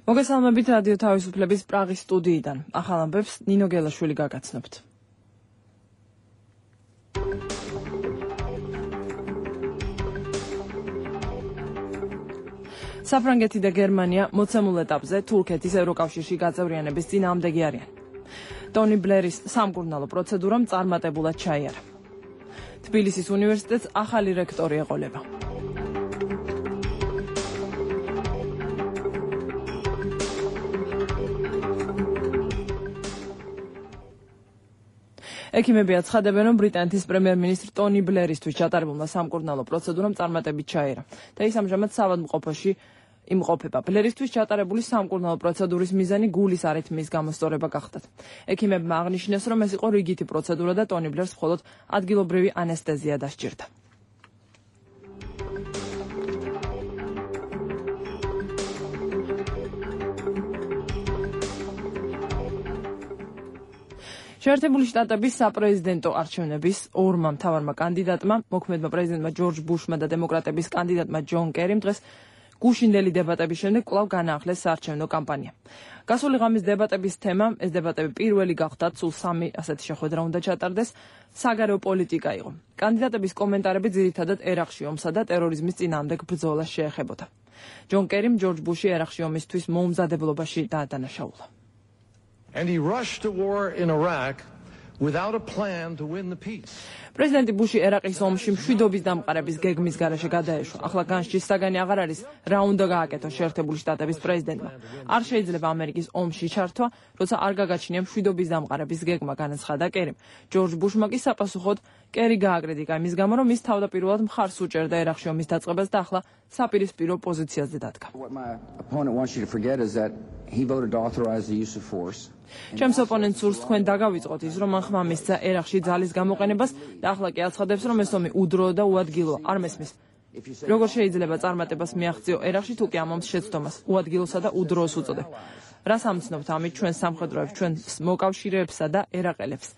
მოგესალმებით რადიო თავისუფლების პრაღის სტუდიიდან. ახალ ამბებს ნინო გელაშვილი გაგაცნობთ. საფრანგეთი და გერმანია მოცემულ ეტაპზე თურქეთის ევროკავშირში გაწევრიანების წინააღმდეგი არიან. ტონი ბლერის სამკურნალო პროცედურამ წარმატებულად ჩაიარა. თბილისის უნივერსიტეტს ახალი რექტორი ეყოლება. ექიმები აცხადებენ, რომ ბრიტანეთის პრემიერ-მინისტრ ტონი ბლერისთვის ჩატარებულმა სამკურნალო პროცედურამ წარმატებით ჩაიარა და ის ამჟამად საავადმყოფოში იმყოფება. ბლერისთვის ჩატარებული სამკურნალო პროცედურის მიზანი გულის არითმიის გამოსწორება გახდათ. ექიმებმა აღნიშნეს, რომ ეს იყო რიგითი პროცედურა და ტონი ბლერს მხოლოდ ადგილობრივი ანესთეზია დასჭირდა. შეერთებული შტატების საპრეზიდენტო არჩევნების ორმა მთავარმა კანდიდატმა, მოქმედმა პრეზიდენტმა ჯორჯ ბუშმა და დემოკრატების კანდიდატმა ჯონ კერიმ დღეს გუშინდელი დებატების შემდეგ კვლავ განაახლეს საარჩევნო კამპანია. გასული ღამის დებატების თემა, ეს დებატები პირველი გახდათ, სულ 3 ასეთი შეხვედრა უნდა ჩატარდეს, საგარეო პოლიტიკა იყო. კანდიდატების კომენტარები ძირითადად ერაყში ომსა და ტერორიზმის წინააღმდეგ ბრძოლას შეეხებოდა. ჯონ კერიმ ჯორჯ ბუში ერაყში ომისთვის მოუმზადებლობაში დაადანაშაულა. And he rushed to war in Iraq without a plan to win the peace. პრეზიდენტი ბუში ერაყის ომში მშვიდობის დამყარების გეგმის გარეშე გადაეშვა. ახლა განსჯის საგანი აღარ არის, რა უნდა გააკეთოს შეერთებული შტატების პრეზიდენტმა. არ შეიძლება ამერიკის ომში ჩართვა, როცა არ გაგაჩნია მშვიდობის დამყარების გეგმა, განაცხადა კერიმ. ჯორჯ ბუშმა კი საპასუხოდ კერი გააკრიტიკა იმის გამო, რომ ის თავდაპირველად მხარს უჭერდა ერაყში ომის დაწყებას და ახლა საპირისპირო პოზიციაზე დადგა. ჩემს ოპონენტს სურს თქვენ დაგავიწყოთ ის, რომ მან ხმა მისცა ერაყში ძალის გამოყენებას და ახლა კი აცხადებს, რომ ეს ომი უდროო და უადგილოა. არ მესმის. როგორ შეიძლება წარმატებას მიაღწიო ერაყში, თუ კი ამ ომს შეცდომას უადგილოსა და უდროოს უწოდებ. რას ამცნობთ ამით ჩვენ სამხედროებს, ჩვენ მოკავშირეებსა და ერაყელებს,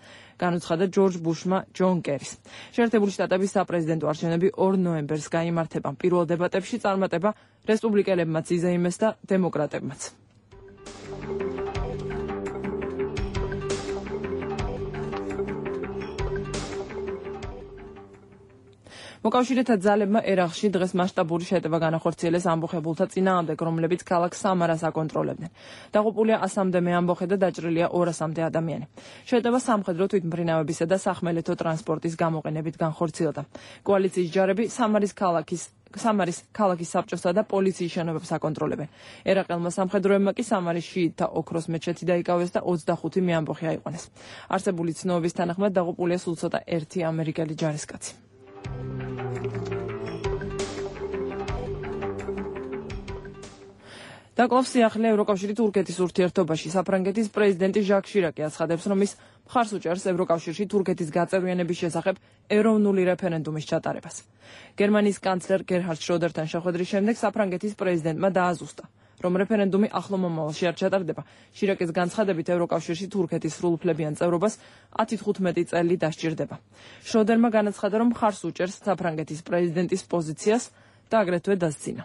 განუცხადა ჯორჯ ბუშმა ჯონ კერის. შეერთებული შტატების საპრეზიდენტო არჩევნები 2 ნოემბერს გაიმართება. პირველ დებატებში წარმატება რესპუბლიკელებმაც იზეიმეს და დემოკრატებმაც. მოკავშირეთა ძალებმა ერაყში დღეს მასშტაბური შეტევა განახორციელეს ამბოხებულთა წინააღმდეგ, რომლებიც ქალაქ სამარას აკონტროლებდნენ. დაღუპულია 100-მდე ამბოხე და დაჭრილია 200-მდე ადამიანი. შეტევა სამხედრო თვითმფრინავებისა და სახმელეთო ტრანსპორტის გამოყენებით განხორციელდა. კოალიციის ჯარები სამარის ქალაქის საბჭოსა და პოლიციის შენობებს აკონტროლებენ. ერაყელმა სამხედროებმა კი სამარის შიიტთა ოქროს მეჩეთი დაიკავეს და 25 მეამბოხე აიყვანეს. არსებული ცნობების თანახმად დაღუპულია სულ ცოტა 1 ამერიკელი ჯარისკაცი. დაკლავს სიახლე ევროკავშირი თურქეთის ურთიერთობაში. საფრანგეთის პრეზიდენტი ჟაკ შირაკი აცხადებს, რომ ის მხარს უჭერს ევროკავშირში თურქეთის გაწევრიანების შესახებ ეროვნული რეფერენდუმის ჩატარებას. გერმანიის კანცლერ გერჰარდ შროდერთან შეხვედრის შემდეგ საფრანგეთის პრეზიდენტმა დააზუსტა, რომ რეფერენდუმი ახლო მომავალში არ ჩატარდება. შირაკის განცხადებით ევროკავშირში თურქეთის სრულუფლებიან წევრობას 10-15 წელი დასჭირდება. შროდერმა განაცხადა, რომ მხარს უჭერს საფრანგეთის პრეზიდენტის პოზიციას და აგრეთვე დასძინა.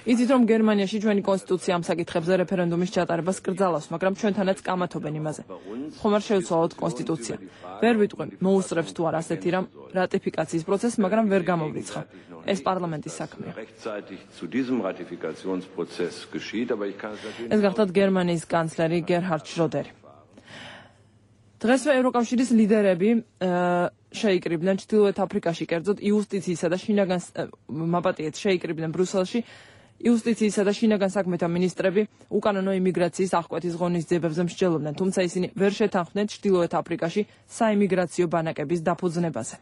იცით, რომ გერმანიაში ჩვენი კონსტიტუცია ამ საკითხებზე რეფერენდუმის ჩატარებას კრძალავს, მაგრამ ჩვენთანაც კამათობენ იმაზე. ხომ არ შეუცვალოთ კონსტიტუცია. ვერ ვიტყვი, მოუსწრებს თუ არა ასეთი რამ რატიფიკაციის პროცესს, მაგრამ ვერ გამოვრიცხა. ეს პარლამენტის საქმეა. ეს გახდათ გერმანიის კანცლერი გერჰარდ შროდერი. დღესვე ევროკავშირის ლიდერები შეიკრიბნენ ჩრდილოეთ აფრიკაში, კერძოდ იუსტიციისა და შინაგან მაპატიეთ შეიკრიბნენ ბრუსელში იუსტიციისა და შინაგან საქმეთა მინისტრები უკანონო იმიგრაციის აღკვეთის ღონისძიებებზე მსჯელობდნენ, თუმცა ისინი ვერ შეთანხმდნენ ჩრდილოეთ აფრიკაში საიმიგრაციო ბანაკების დაფუძნებაზე.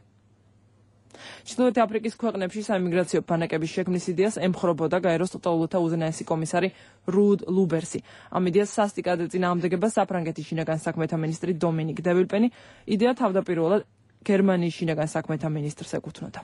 ჩრდილოეთ აფრიკის ქვეყნებში საიმიგრაციო ბანაკების შექმნის იდეას ემხრობოდა გაეროს ტოლოთა უზენაესი კომისარი რუდ ლუბერსი. ამ იდეას სასტიკად ეწინააღმდეგება საფრანგეთის შინაგან საქმეთა მინისტრი დომინიკ დე ვილპენი. იდეა თავდაპირველად გერმანიის შინაგან საქმეთა მინისტრს ეკუთვნოდა.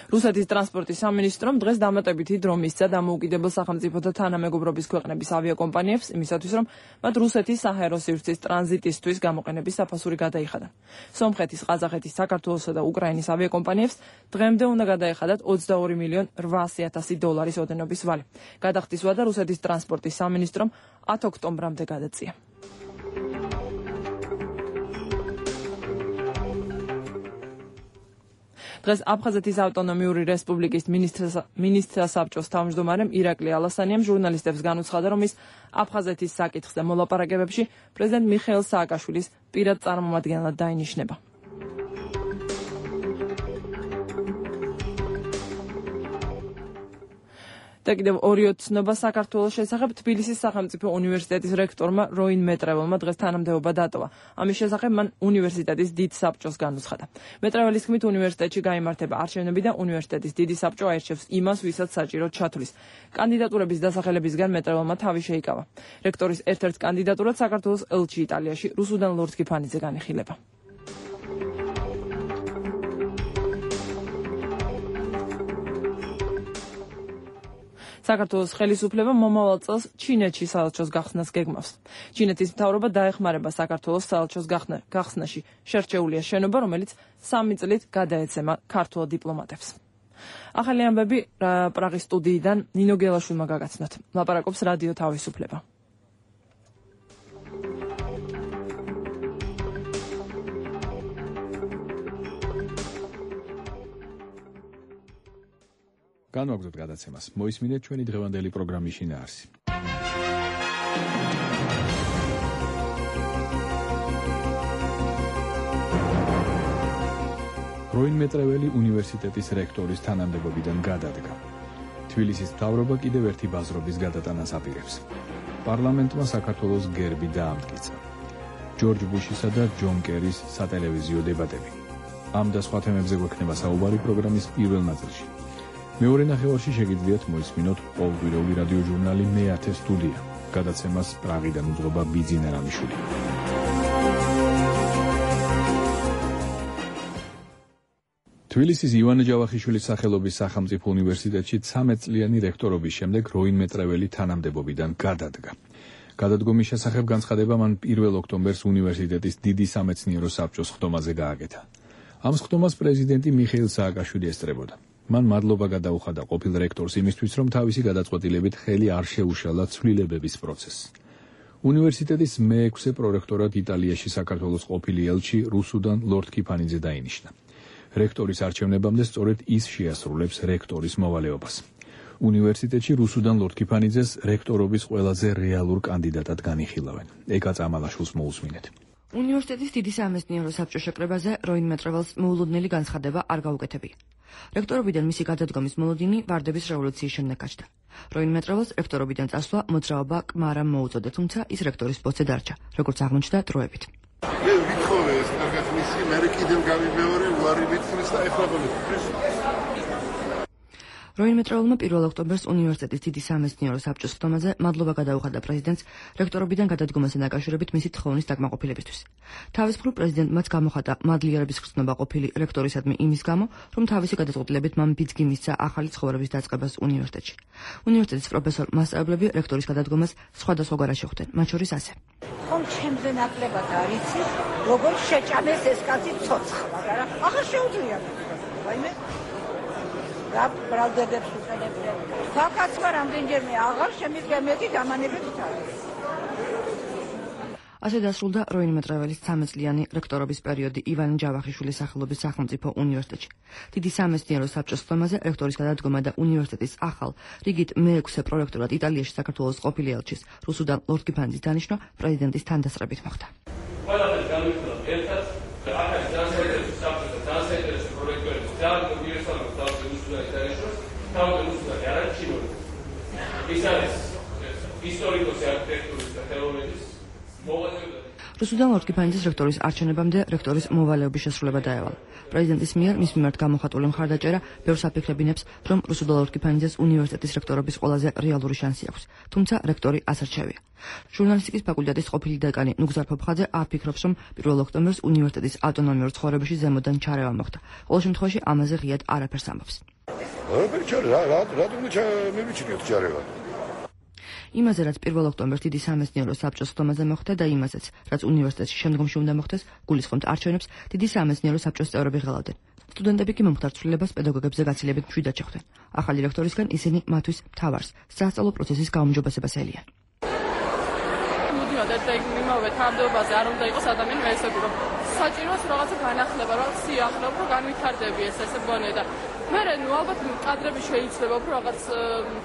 რუსეთის ტრანსპორტის სამინისტრომ დღეს დამატებითი დრო მისცა დამოუკიდებელ სახელმწიფოთა თანამეგობრობის ქვეყნების ავიაკომპანიებს იმისათვის, რომ მათ რუსეთის საჰაერო სივრცის ტრანზიტისთვის გამოყენების საფასური გადაიხადან. სომხეთის, ყაზახეთის, საქართველოსა და უკრაინის ავიაკომპანიებს დღემდე უნდა გადაეხადათ $22,800,000 ოდენობის ვალი. გადახდის ვადა რუსეთის ტრანსპორტის სამინისტრომ 10 ოქტომბრამდე გადაწია. დღეს აფხაზეთის ავტონომიური რესპუბლიკის მინისტრთა საბჭოს თავმჯდომარემ ირაკლი ალასანიამ ჟურნალისტებს განუცხადა, რომ ის აფხაზეთის საკითხზე მოლაპარაკებებში პრეზიდენტ მიხეილ სააკაშვილის პირად წარმომადგენლად დაინიშნება. და კიდევ ორი ოცნობა საქართველოს შესახებ. თბილისის სახელმწიფო უნივერსიტეტის რექტორმა როინ მეტრეველმა დღეს თანამდებობა დატოვა. ამის შესახებ მან უნივერსიტეტის დიდ საბჭოს განუცხადა. მეტრეველის თქმით, უნივერსიტეტში გაიმართება არჩევნები და უნივერსიტეტის დიდი საბჭო აირჩევს იმას, ვისაც საჭიროდ ჩათვლის. კანდიდატურების დასახელებისგან მეტრეველმა თავი შეიკავა. რექტორის ერთ-ერთ კანდიდატურად საქართველოს ელჩი იტალიაში რუსუდან ლორდ კიფანიძე განიხილება. საქართველოს ხელისუფლება მომავალ წელს ჩინეთში საელჩოს გახსნას გეგმავს. ჩინეთის მთავრობა დაეხმარება საქართველოს საელჩოს გახსნაში შერჩეულია შენობა, რომელიც 3 წლით გადაეცემა ქართულ დიპლომატებს. ახალი ამბები პრაღის სტუდიიდან ნინო გელაშვილმა გაგაცნოთ. ლაპარაკობს რადიო თავისუფლება. განვაგრძოთ გადაცემას. მოისმინეთ ჩვენი დღევანდელი პროგრამის შინაარსი. როინ მეტრეველი უნივერსიტეტის რექტორის თანამდებობიდან გადადგა. თბილისის მთავრობა კიდევ ერთი ბაზრობის გადატანას აპირებს. პარლამენტმა საქართველოს გერბი დაამტკიცა. ჯორჯ ბუშისა და ჯონ კერის სატელევიზიო დებატები. ამ და სხვა თემებზე გვექნება საუბარი პროგრამის პირველ ნაწილში. მეორე ნახევარში შეგიძლიათ მოისმინოთ ყოველკვირეული რადიო ჟურნალი მე-10 სტუდია. გადაცემას პრაღიდან უძღვება ბიძინა რამიშვილი. თბილისის ივანე ჯავახიშვილის სახელობის სახელმწიფო უნივერსიტეტში 13 წლიანი რექტორობის შემდეგ როინ მეტრეველი თანამდებობიდან გადადგა. გადადგომის შესახებ განცხადება მან 1 ოქტომბერს უნივერსიტეტის დიდი სამეცნიერო საბჭოს ხდომაზე გააკეთა. ამ ხდომას პრეზიდენტი მიხეილ სააკაშვილი ესწრებოდა. მან მადლობა გადაუხადა ყოფილ რექტორს იმისთვის, რომ თავისი გადაწყვეტილებით ხელი არ შეუშალა ცვლილებების პროცესს. უნივერსიტეტის მე-6 პრორექტორად იტალიაში საქართველოს ყოფილი ელჩი რუსუდან ლორდ კიფანიძე დაინიშნა. რექტორის არჩევნებამდე სწორედ ის შეასრულებს რექტორის მოვალეობას. უნივერსიტეტში რუსუდან ლორდ კიფანიძეს რექტორობის ყველაზე რეალურ კანდიდატად განიხილავენ. ეკა წამალაშვილს მოусმინეთ. უნივერსიტეტის დიდი სამეცნიერო საბჭოს შეკრებაზე როინ მეტრეველს მოულოდნელი განცხადება არ გაუკეთებია. რექტორობიდან მისი გადადგომის მოლოდინი ვარდების რევოლუციის შემდეგ გაჩნდა. როინ მეტრეველს რექტორობიდან წასვლა მოძრაობა კმარამ მოუწოდა, თუმცა ის რექტორის პოსტზე დარჩა, როგორც აღმოჩნდა დროებით. მე ვითხოვე ეს კარგად მისი, მე კიდევ გამიმეორე, უარი მითხრეს და ეხლა მომიწევს. როინ მეტრეველმა 1 ოქტომბერს უნივერსიტეტის დიდი სამეცნიერო საბჭოს ხდომაზე მადლობა გადაუხადა პრეზიდენტს რექტორობიდან გადადგომასთან დაკავშირებით მისი თხოვნის დაკმაყოფილებისთვის. თავის მხრივ პრეზიდენტმაც გამოხატა მადლიერების გრძნობა ყოფილი რექტორისადმი იმის გამო, რომ თავისი გადაწყვეტილებით მან ბიძგი მისცა ახალი ცხოვრების დაწყებას უნივერსიტეტში. უნივერსიტეტის პროფესორ-მასწავლებლები რექტორის გადადგომას სხვადასხვაგვარად შეხვდნენ, მათ შორის ასე. ხომ ჩემზე ნაკლებად არიცი, როგორ შეჭამეს ეს კაცი ცოცხლა, მაგრამ ახლა შეუძლია. ვაიმე რა ბრალდედებს უყენებდნენ. ფაქაცმა რამდენჯერმე აღარ შემიძლია მეტი დამანებებით არის. ასე დასრულდა როინ მეტრეველის 13 წლიანი რექტორობის პერიოდი ივანე ჯავახიშვილის სახელობის სახელმწიფო უნივერსიტეტში. დიდი სამეცნიერო საბჭოს ხდომაზე რექტორის გადადგომა და უნივერსიტეტის ახალ რიგით მე-6 პრორექტორად იტალიაში საქართველოს ყოფილი ელჩის რუსუდან ლორდ კიფანიძის დანიშვნა პრეზიდენტის თანდასწრებით მოხდა. ყველაფერს განვიხილავთ ერთად და ახალი განსაკუთრებით საბჭოს და განსაკუთრებით პროექტების ძალიან უნივერსალურ თავზე უსულაის დაიშვას, თავზე უსულაი არ არის ჩინური. ის არის ისტორიკოსი არქიტექტურის და თეორიის რუსუდან ლორთქიფანიძის რექტორის არჩევნებამდე რექტორის მოვალეობის შესრულება დაევალა. პრეზიდენტის მიერ მის მიმართ გამოხატული მხარდაჭერა ბევრს აფიქრებინებს, რომ რუსუდან ლორთქიფანიძეს უნივერსიტეტის რექტორობის ყველაზე რეალური შანსი აქვს, თუმცა რექტორი ასარჩევია. ჟურნალისტიკის ფაკულტეტის ყოფილი დეკანი ნუგზარ ფოფხაძე არ ფიქრობს, რომ 1 ოქტომბერს უნივერსიტეტის ავტონომიურ ცხოვრებაში ზემოდან ჩარევა მოხდა. ყოველ შემთხვევაში ამაზე ღიად არაფერს ამბობს. იმაზე, რაც 1 ოქტომბერს დიდი სამეცნიერო საბჭოს ხდომაზე მოხდა და იმაზეც, რაც უნივერსიტეტში შემდგომში უნდა მოხდეს, გულისხმობთ არჩევნებს, დიდი სამეცნიერო საბჭოს წევრები ღელავდნენ. სტუდენტები კი მომხდარ ცვლილებას პედაგოგებზე გაცილებით მშვიდად შეხვდნენ. ახალი რექტორისგან ისინი მათთვის მთავარს, სასწავლო პროცესის გაუმჯობესებას ელიან. და იმავე თანამდებობაზე არ უნდა იყოს ადამიანი მეცადი, რომ საჭიროს რაღაცა განახლება, რაღაც სიახლეა, რომ განვითარდები ეს მგონია და მე ალბათ კადრები შეიძლება, რომ რაღაც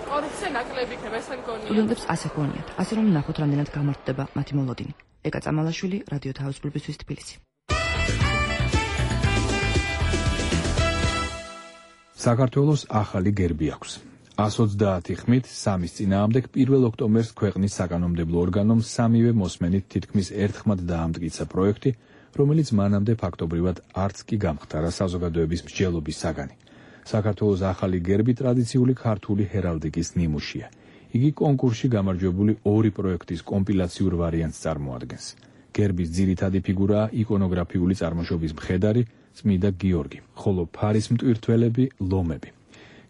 კორუფცია ნაკლები იქნება, ეს მგონია. სტუდენტებს ასე ჰგონიათ, ასე რომ ნახოთ რამდენად გამართდება მათი მოლოდინი. ეკა წამალაშვილი, რადიო თავისუფლებისთვის თბილისი. საქართველოს ახალი გერბი აქვს. 130 ხმით 3-ის წინააღმდეგ 1 ოქტომბერს ქვეყნის საკანონმდებლო ორგანომ სამივე მოსმენით თითქმის ერთხმად დაამტკიცა პროექტი, რომელიც მანამდე ფაქტობრივად არც კი გამხდარა საზოგადოების მსჯელობის საგანი. საქართველოს ახალი გერბი ტრადიციული ქართული ჰერალდიკის ნიმუშია. იგი კონკურსში გამარჯვებული 2 პროექტის კომპილაციურ ვარიანტს წარმოადგენს. გერბის ძირითადი ფიგურაა იკონოგრაფიული წარმოშობის მხედარი წმიდა გიორგი, ხოლო ფარის მტვირთველები ლომები.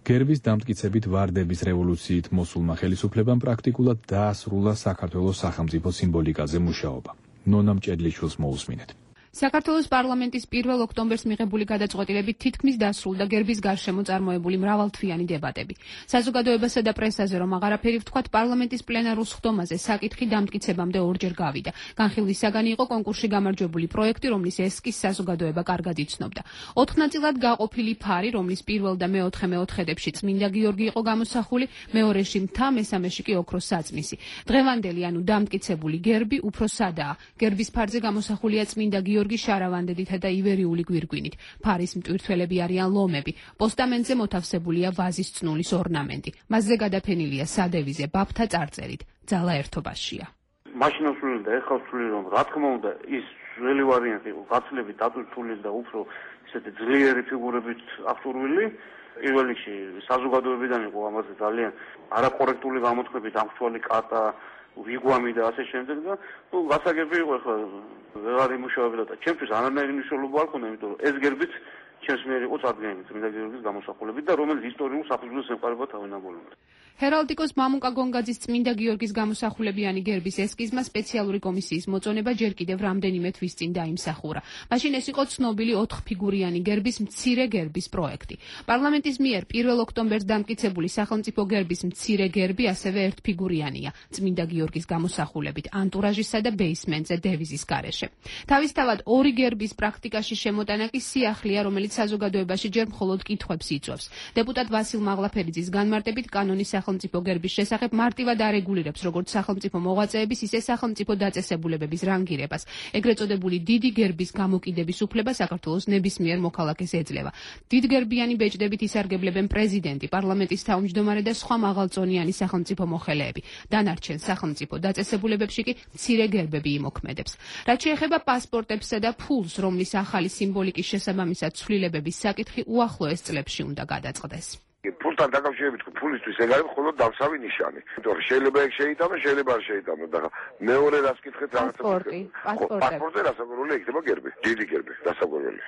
გერბის დამტკიცებით ვარდების რევოლუციით მოსულმა ხელისუფლებამ პრაქტიკულად დაასრულა საქართველოს სახელმწიფო სიმბოლიკაზე მუშაობა. ნონა მჭედლიშვილს მოусმინეთ. საქართველოს პარლამენტის 1 ოქტომბერს მიღებული გადაწყვეტილებით თითქმის დასრულდა გერბის გარშემო წარმოებული მრავალთვიანი დებატები. საზოგადოებასა და პრესაზე რომ აღარაფერი ვთქვათ, პარლამენტის პლენარულ სხდომაზე საკითხი დამტკიცებამდე ორჯერ გავიდა. განხილვის საგანი იყო კონკურსში გამარჯვებული პროექტი, რომლის ესკიზს საზოგადოება კარგად იცნობდა. 4 ნაწილად გაყოფილი ფარი, რომლის პირველ და მეოთხე მეოთხედებში წმინდა გიორგი იყო გამოსახული, მეორეში მთა, მესამეში კი ოქროს საწმისი. დღევანდელი, ანუ დამტკიცებული გერბი უფრო სადაა. გერბის ფარზე გამოსახულია წმინდა გიორგი შარავანდედითა და ივერიული გვირგვინით. ფარის მტვირთველები არიან ლომები. პოსტამენტზე მოთავსებულია ვაზის წნულის ორნამენტი. მასზე გადაფენილია სადევიზე ბაბთა წარწერით. ძალა ერთობაშია. მაშინ ვსვლილი და ეხლა ვსვლილი, რომ რა თქმა უნდა ის ძველი ვარიანტი გაცილებით დატვირთული და უფრო ისეთი ძლიერი ფიგურებით აღჭურვილი. პირველ რიგში საზოგადოებიდან იყო ამაზე ძალიან არაკორექტული გამოთქმებით აღჭურვილი კატა, ვიგვამი და ასე შემდეგ და გასაგები იყო ახლა ვეღარ იმუშავებდა და ჩემთვის არანაირი მნიშვნელობა არ ქონდა, იმიტომ რომ ეს გერბიც ჩემს მიერ იყო წარდგენილი წმინდა გიორგის გამოსახულებით და რომელიც ისტორიულ საფუძველს ემყარება თავენებოვნებად. ჰერალდიკოს მამუკა გონგაძის წმინდა გიორგის გამოსახულებიანი გერბის ესკიზმა სპეციალური კომისიის მოწონება ჯერ კიდევ რამდენიმე თვის წინ დაიმსახურა. მაშინ ეს იყო ცნობილი 4 ფიგურიანი გერბის მცირე გერბის პროექტი. პარლამენტის მიერ 1 ოქტომბერს დამტკიცებული სახელმწიფო გერბის მცირე გერბი ასევე ერთფიგურიანია, წმინდა გიორგის გამოსახულებით ანტურაჟისა და ბეისმენტზე დევიზის გარეშე. თავისთავად 2 გერბის პრაქტიკაში შემოტანა კი სიახლეა, რომელიც საზოგადოებაში ჯერ მხოლოდ კითხვებს იწვევს. დეპუტატ ვასილ მაღლაფერიძის განმარტებით კანონის სახელმწიფო გერბის შესახებ მარტივად არეგულირებს როგორც სახელმწიფო მოღვაწეების, ისე სახელმწიფო დაწესებულებების რანგირებას. ეგრეთ წოდებული დიდი გერბის გამოკიდების უფლება საქართველოს ნებისმიერ მოქალაქეს ეძლევა. დიდგერბიანი ბეჭდებით ისარგებლებენ პრეზიდენტი, პარლამენტის თავმჯდომარე და სხვა მაღალწონიანი სახელმწიფო მოხელეები. დანარჩენ სახელმწიფო დაწესებულებებში კი მცირე გერბები იმოქმედებს. რაც შეეხება პასპორტებსა და ფულს, რომლის ახალი სიმბოლიკის შესაბამისად ცვლილებების საკითხი უახლოეს წლებში უნდა გადაწყდეს. ფულთან დაკავშირებით ფულისთვის ეგ არის მხოლოდ დავსავი ნიშანი. იმიტომ რომ შეიძლება ეგ შეიტანო, შეიძლება არ შეიტანო და მეორე რას კითხეთ რაღაცა. პასპორტი რასაკვირველი იქნება გერბი, დიდი გერბი რასაკვირველი.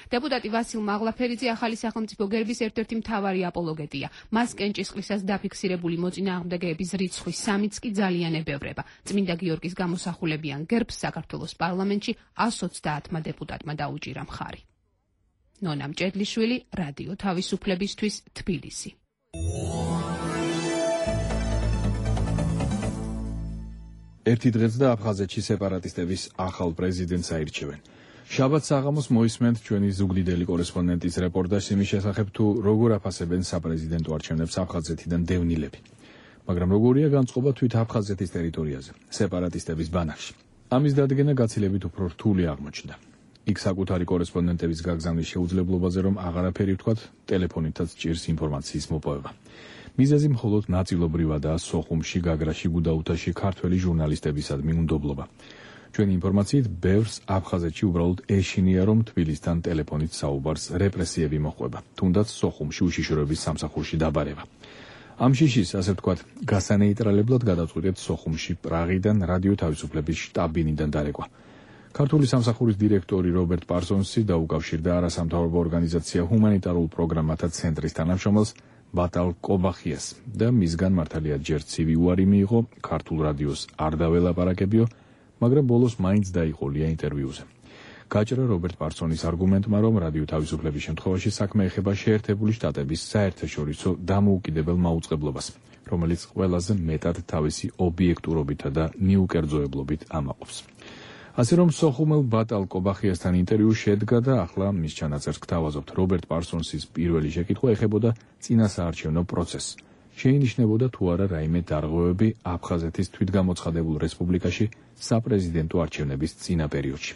დეპუტატი ვასილ მაღლაფერიძე ახალი სახელმწიფო გერბის ერთ-ერთი მთავარი აპოლოგეტია. მას კენჭისყრისას დაფიქსირებული მოწინააღმდეგეების რიცხვი 3-იც კი ძალიან ებევრება. წმინდა გიორგის გამოსახულებიან გერბს საქართველოს პარლამენტში 130 დეპუტატმა დაუჭირა მხარი. ნონა მჭედლიშვილი, რადიო თავისუფლებისთვის, თბილისი. ერთი დღეც და აფხაზეთში სეპარატისტების ახალ პრეზიდენტს აირჩევენ. შაბათ საღამოს მოისმენთ ჩვენი ზუგდიდელი კორესპონდენტის რეპორტაჟს იმის შესახებ, თუ როგორ აფასებენ საპრეზიდენტო არჩევნებს აფხაზეთიდან დევნილები. მაგრამ როგორია განწყობა თვით აფხაზეთის ტერიტორიაზე, სეპარატისტების ბანაკში. ამის დადგენა გაცილებით უფრო რთული აღმოჩნდა. იქ საკუთარი კორესპონდენტების გაგზავნის შეუძლებლობაზე რომ აღარაფერი ვთქვათ, ტელეფონითაც ჭირს ინფორმაციის მოპოვება. მიზეზი მხოლოდ ნაწილობრივადაა სოხუმში, გაგრაში, გუდაუთაში ქართველი ჟურნალისტებისადმი უნდობლობა. ჩვენი ინფორმაციით, ბევრს აფხაზეთში უბრალოდ ეშინია, რომ თბილისთან ტელეფონით საუბარს რეპრესიები მოჰყვება, თუნდაც სოხუმში უშიშროების სამსახურში დაბარება. ამ შიშის, ასე ვთქვათ, გასანეიტრალებლად გადაწყვიტეთ სოხუმში პრაღიდან რადიო თავისუფლების შტაბ-ბინიდან დარეკვა. ქართული სამსახურის დირექტორი რობერტ პარსონსი დაუკავშირდა არასამთავრობო ორგანიზაცია ჰუმანიტარულ პროგრამათა ცენტრის თანამშრომელს ბატალ კობახიას და მისგან მართალია ჯერ ცივი უარი მიიღო, ქართულ რადიოს არ დაველაპარაკებიო, მაგრამ ბოლოს მაინც დაიყოლია ინტერვიუზე. გაჭრა რობერტ პარსონის არგუმენტმა, რომ რადიო თავისუფლების შემთხვევაში საქმე ეხება შეერთებული შტატების საერთაშორისო დამოუკიდებელ მაუწყებლობას, რომელიც ყველაზე მეტად თავისი ობიექტურობითა და ნიუკერძოებლობით ამაყობს. ასე რომ სოხუმელ ბატალ კობახიასთან ინტერვიუ შედგა და ახლა მის ჩანაწერს გთავაზობთ. რობერტ პარსონსის პირველი შეკითხვა ეხებოდა წინასაარჩევნო პროცესს. შეინიშნებოდა თუ არა რაიმე დარღვევები აფხაზეთის თვითგამოცხადებულ რესპუბლიკაში საპრეზიდენტო არჩევნების წინა პერიოდში.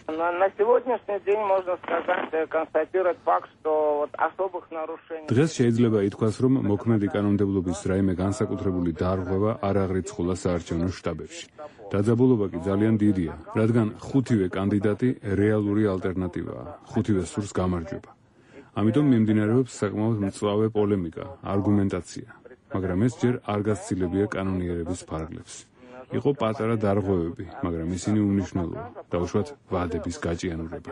დღეს შეიძლება ითქვას, რომ მოქმედი კანონმდებლობის რაიმე განსაკუთრებული დარღვევა არ აღრიცხულა საარჩევნო შტაბებში. დაძაბულობა კი ძალიან დიდია, რადგან ხუთივე კანდიდატი რეალური ალტერნატივაა, ხუთივე სურს გამარჯვება. ამიტომ მიმდინარეობს საკმაოდ მწვავე პოლემიკა, არგუმენტაცია. მაგრამ ეს ჯერ არ გასცილებია კანონიერების ფარგლებს. იყო პატარა დარღვევები, მაგრამ ისინი უმნიშვნელოა, დაუშვათ ვადების გაჭიანურება.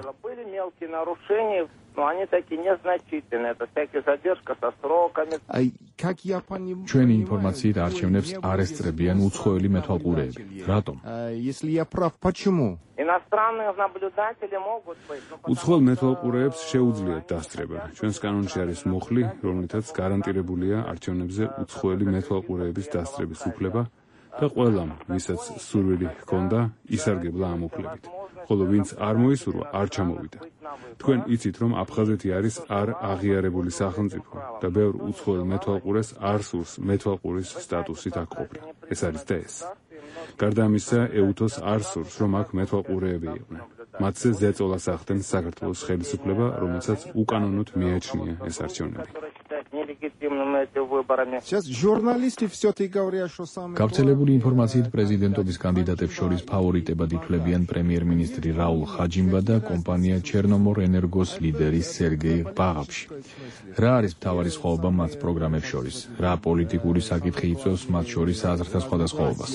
ჩვენი ინფორმაციით არჩევნებს არ ესწრებიან უცხოელი მეთვალყურეები. რატომ? უცხოელ მეთვალყურეებს შეუძლიათ დასწრება. ჩვენს კანონში არის მუხლი, რომლითაც გარანტირებულია არჩევნებზე უცხოელი მეთვალყურეების დასწრების უფლება და ყველამ, ვისაც სურვილი ჰქონდა, ისარგებლა ამ უფლებით. ხოლო ვინც არ მოისურვა, არ ჩამოვიდა. თქვენ იცით, რომ აფხაზეთი არის არ აღიარებული სახელმწიფო და ბევრ უცხოელ მეთვალყურეს არ სურს მეთვალყურის სტატუსით აქ ყოფნა. ეს არის და ეს. გარდა ამისა, ეუთოს არ სურს, რომ აქ მეთვალყურეები იყვნენ. მათზე ზეწოლას ახდენს საქართველოს ხელისუფლება, რომელსაც უკანონოდ მიაჩნია ეს არჩევნები. გავრცელებული ინფორმაციით პრეზიდენტობის კანდიდატებს შორის ფავორიტებად ითვლებიან პრემიერ-მინისტრი რაულ ხაჯიმბა და კომპანია ჩერნომორ ენერგოს ლიდერი სერგეი ბაღაფში. რა არის მთავარი სხვაობა მათ პროგრამებს შორის? რა პოლიტიკური საკითხი იწვევს მათ შორის აზრთა სხვადასხვაობას?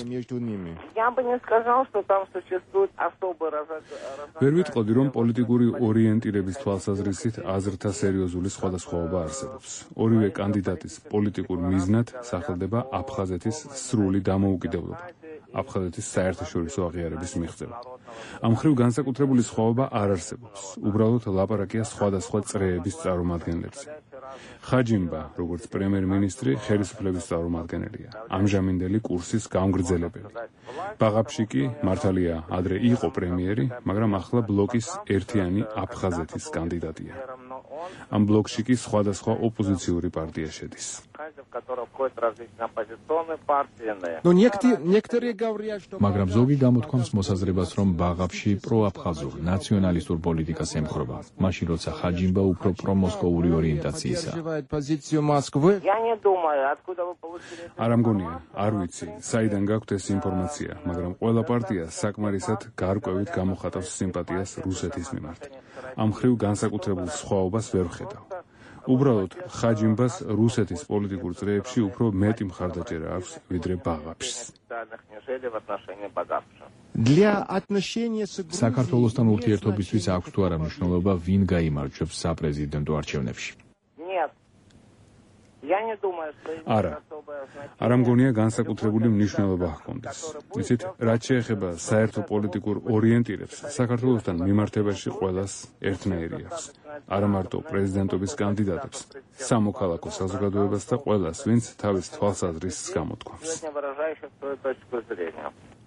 ვერ ვიტყოდი, რომ პოლიტიკური ორიენტირების თვალსაზრისით აზრთა სერიოზული სხვადასხვაობა არსებობს. ორივე კანდიდატის პოლიტიკურ მიზნად სახელდება აფხაზეთის სრული დამოუკიდებლობა, აფხაზეთის საერთაშორისო აღიარების მიღწევა. ამ მხრივ განსაკუთრებული სხვაობა არ არსებობს. უბრალოდ ლაპარაკია სხვადასხვა წრეების წარმომადგენლებზე. ხაჯიმბა, როგორც პრემიერ-მინისტრი, ხელისუფლების წარმომადგენელია, ამჟამინდელი კურსის გამგრძელებელი. ბაღაფში კი მართალია ადრე იყო პრემიერი, მაგრამ ახლა ბლოკის ერთიანი აფხაზეთის კანდიდატია. ამ ბლოკში კი სხვადასხვა ოპოზიციური პარტია შედის. მაგრამ ზოგი გამოთქვამს მოსაზრებას, რომ ბაღაფში პროაფხაზურ ნაციონალისტურ პოლიტიკას ემხრობა, მაშინ როცა ხაჯიმბა უფრო პრომოსკოვური ორიენტაციისაა. არ მგონია, არ ვიცი, საიდან გაქვთ ეს ინფორმაცია, მაგრამ ყველა პარტია საკმარისად გარკვევით გამოხატავს სიმპათიას რუსეთის მიმართ. ამ მხრივ განსაკუთრებულ სხვაობას ვერ ვხედავ. უბრალოდ ხაჯიმბას რუსეთის პოლიტიკურ წრეებში უფრო მეტი მხარდაჭერა აქვს, ვიდრე ბაღაფშს. საქართველოსთან ურთიერთობისთვის აქვს თუ არა მნიშვნელობა, ვინ გაიმარჯვებს საპრეზიდენტო არჩევნებში? არა. არ მგონია განსაკუთრებული მნიშვნელობა ჰქონდეს. იცით, რაც შეეხება საერთო პოლიტიკურ ორიენტირებს, საქართველოსთან მიმართებაში ყველას ერთნაირი აქვს. არა მარტო პრეზიდენტობის კანდიდატებს, სამოქალაქო საზოგადოებას და ყველას, ვინც თავის თვალსაზრისს გამოთქვამს.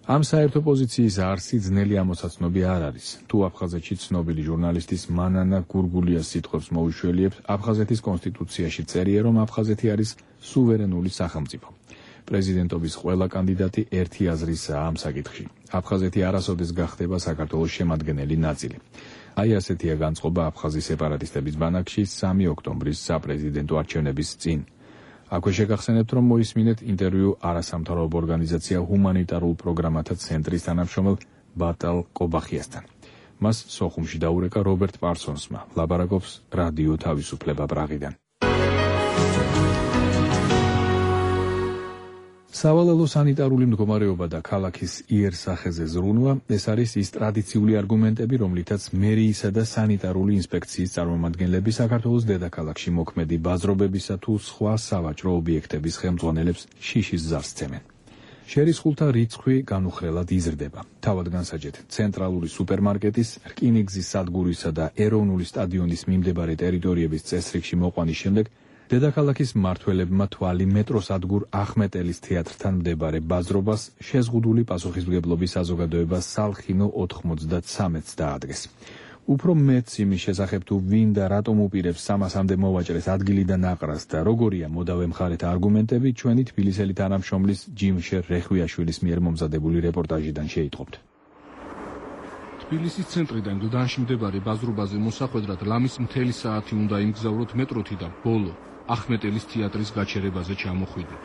ამ საერთო პოზიციის არსი ძნელი ამოსაცნობი არ არის. თუ აფხაზეთში ცნობილი ჟურნალისტის მანანა გურგულიას სიტყვებს მოუშველიებთ, აფხაზეთის კონსტიტუციაში წერია, რომ აფხაზეთი არის სუვერენული სახელმწიფო. პრეზიდენტობის ყველა კანდიდატი ერთი აზრისაა ამ საკითხში. აფხაზეთი არასოდეს გახდება საქართველოს შემადგენელი ნაწილი. აი ასეთია განწყობა აფხაზი სეპარატისტების ბანაკში 3 ოქტომბრის საპრეზიდენტო არჩევნების წინ. აქვე შეგახსენებთ, რომ მოისმინეთ ინტერვიუ არასამთავრობო ორგანიზაცია ჰუმანიტარულ პროგრამათა ცენტრის თანამშრომელ ბატალ კობახიასთან. მას სოხუმში დაურეკა რობერტ პარსონსმა, ლაბარაკობს რადიო თავისუფლება პრაღიდან. სავალალო სანიტარული მდგომარეობა და ქალაქის იერსახეზე ზრუნვა ეს არის ის ტრადიციული არგუმენტები, რომლითაც მერიისა და სანიტარული ინსპექციის წარმომადგენლები საქართველოს დედაქალაქში მოქმედი ბაზრობებისა თუ სხვა სავაჭრო ობიექტების ხელმძღვანელებს შიშის ზარს სცემენ. შერისხულთა რიცხვი განუხრელად იზრდება. თავად განსაჯეთ, ცენტრალური სუპერმარკეტის, რკინიგზის სადგურისა და ეროვნული სტადიონის მიმდებარე ტერიტორიების წესრიგში მოყვანის შემდეგ დედაქალაქის მმართველებმა თვალი მეტროსადგურ ახმეტელის თეატრთან მდებარე ბაზრობას შეზღუდული პასუხისმგებლობის საზოგადოებას სალხინო 93-ს დაადგეს. უფრო მეც იმის შესახებ თუ ვინ და რატომ უპირებს სამასამდე მოვაჭრეს ადგილიდან აყრას და როგორია მოდავე მხარეთა არგუმენტები, ჩვენი თბილისელი თანამშრომლის ჯიმშერ რეხვიაშვილის მიერ მომზადებული რეპორტაჟიდან შეიტყობთ. თბილისის ცენტრიდან გლდანში მდებარე ბაზრობაზე მოსახვედრად ლამის მთელი საათი უნდა იმგზავროთ მეტროთი და ბოლო ახმეტელის თეატრის გაჩერებაზე ჩამოხვიდეთ.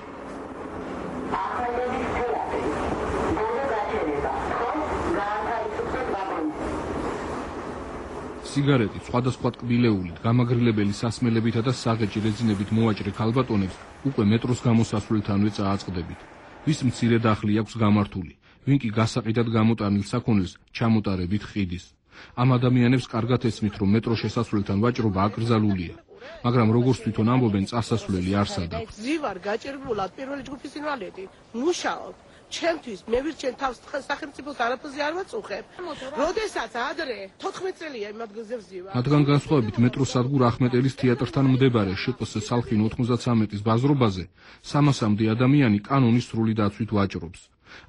სიგარეტი, სხვადასხვა ტკბილეულით, გამაგრილებელი სასმელებითა და საღეჭი რეძინებით მოვაჭრე ქალბატონებს უკვე მეტროს გამოსასვლელთანვე წააწყდებით. ვის მცირე დახლი აქვს გამართული, ვინ კი გასაყიდად გამოტანილ საქონელს ჩამოტარებით ხიდის. ამ ადამიანებს კარგად ესმით, რომ მეტროს შესასვლელთან ვაჭრობა აკრძალულია. მაგრამ როგორც თვითონ ამბობენ, წასასვლელი არ სადაქვს. ზივარ გაჭირებულად პირველი ჯგუფის ინვალიდი, მუშაობ. ჩემთვის მე ვირჩენ თავს სახელმწიფოს არაფერზე არ ვაწუხებ. როდესაც ადრე 14 წელია იმ ადგილზე ვზივარ. მათგან განსხვავებით მეტროსადგურ ახმეტელის თეატრთან მდებარე შპს სალხინო 93-ის ბაზრობაზე 300-მდე ადამიანი კანონის სრული დაცვით ვაჭრობს.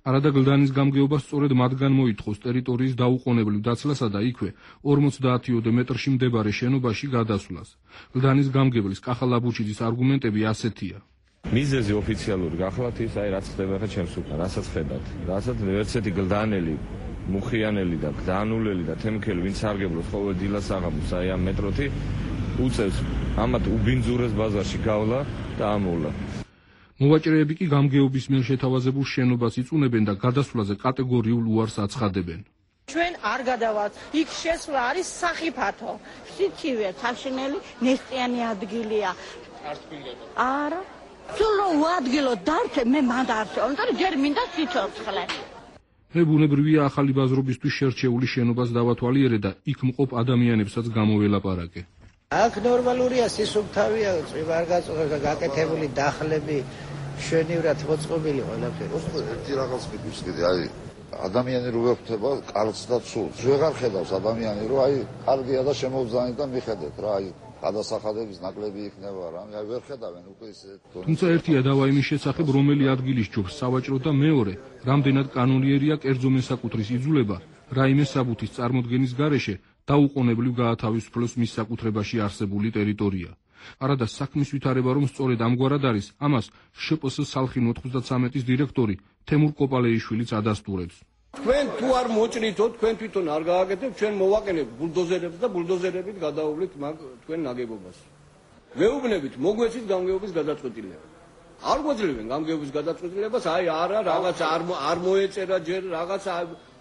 არადა გლდანის გამგეობა სწორედ მათგან მოითხოვს ტერიტორიის დაუყოვნებლივ დაცლასა და იქვე 50-ოდე მეტრში მდებარე შენობაში გადასვლას. გლდანის გამგებლის კახა ლაბუჩიძის არგუმენტები ასეთია. მიზეზი ოფიციალური გახლავთ ის, რაც ხდება ხა ჩემს უკან, რასაც ხედავთ. რასაც ერთსეთი გლდანელი, მუხიანელი და გლდანულელი და თემქელი, ვინც სარგებლობს ყოველ დილას აღამოს აი ამ მეტროთი, უწევს ამათ უბინძურეს ბაზარში გავლა და ამოვლა. მოვაჭრეები კი გამგეობის მიერ შეთავაზებულ შენობას იწუნებენ და გადასვლაზე კატეგორიულ უარს აცხადებენ. ჩვენ არ გადავალთ. იქ შესვლა არის სახიფათო. სიცივე, საშინელი, ნესტიანი ადგილია. არა. სულო ადგილო დარჩე მე მანდ არჩე. ამიტომ ჯერ მინდა სიცოცხლე. მე ბუნებრივია ახალი ბაზრობისთვის შერჩეული შენობას დავათვალიერე და იქ მყოფ ადამიანებსაც გამოველაპარაკე. აქ ნორმალურია, სისუფთავია, წვიმარ გაწუხებს და გაკეთებული დახლები, შვენივრად მოწყობილი ყველაფერი. ერთი რაღაც მიგვის კიდე, აი ადამიანი რო ვეხვდება კარგს და ცუდს. ვეღარ ხედავს ადამიანი რო აი კარგია და შემოვძანით და მიხედეთ რა, აი გადასახადების ნაკლები იქნება რა, აი ვერ ხედავენ უკვე ისე. თუმცა ერთია დავა იმის შესახებ, რომელი ადგილის ჯობს სავაჭრო და მეორე, რამდენად კანონიერია კერძო მესაკუთრის იძულება რაიმე საბუთის წარმოდგენის გარეშე დაუყოვნებლივ გაათავისუფლოს მის საკუთრებაში არსებული ტერიტორია. არადა საქმის ვითარება რომ სწორედ ამგვარად არის, ამას შპს სალხინო 93-ის დირექტორი თემურ კოპალეიშვილიც ადასტურებს. თქვენ თუ არ მოჭრითო, თქვენ თვითონ არ გააკეთებთ, ჩვენ მოვაყენებთ ბულდოზერებს და ბულდოზერებით გადაუვლით თქვენ ნაგებობას. მეუბნებით, მოგვეცით გამგეობის გადაწყვეტილება. არ გვაძლევენ გამგეობის გადაწყვეტილებას, აი არა, რაღაც არ მოეწერა ჯერ, რაღაც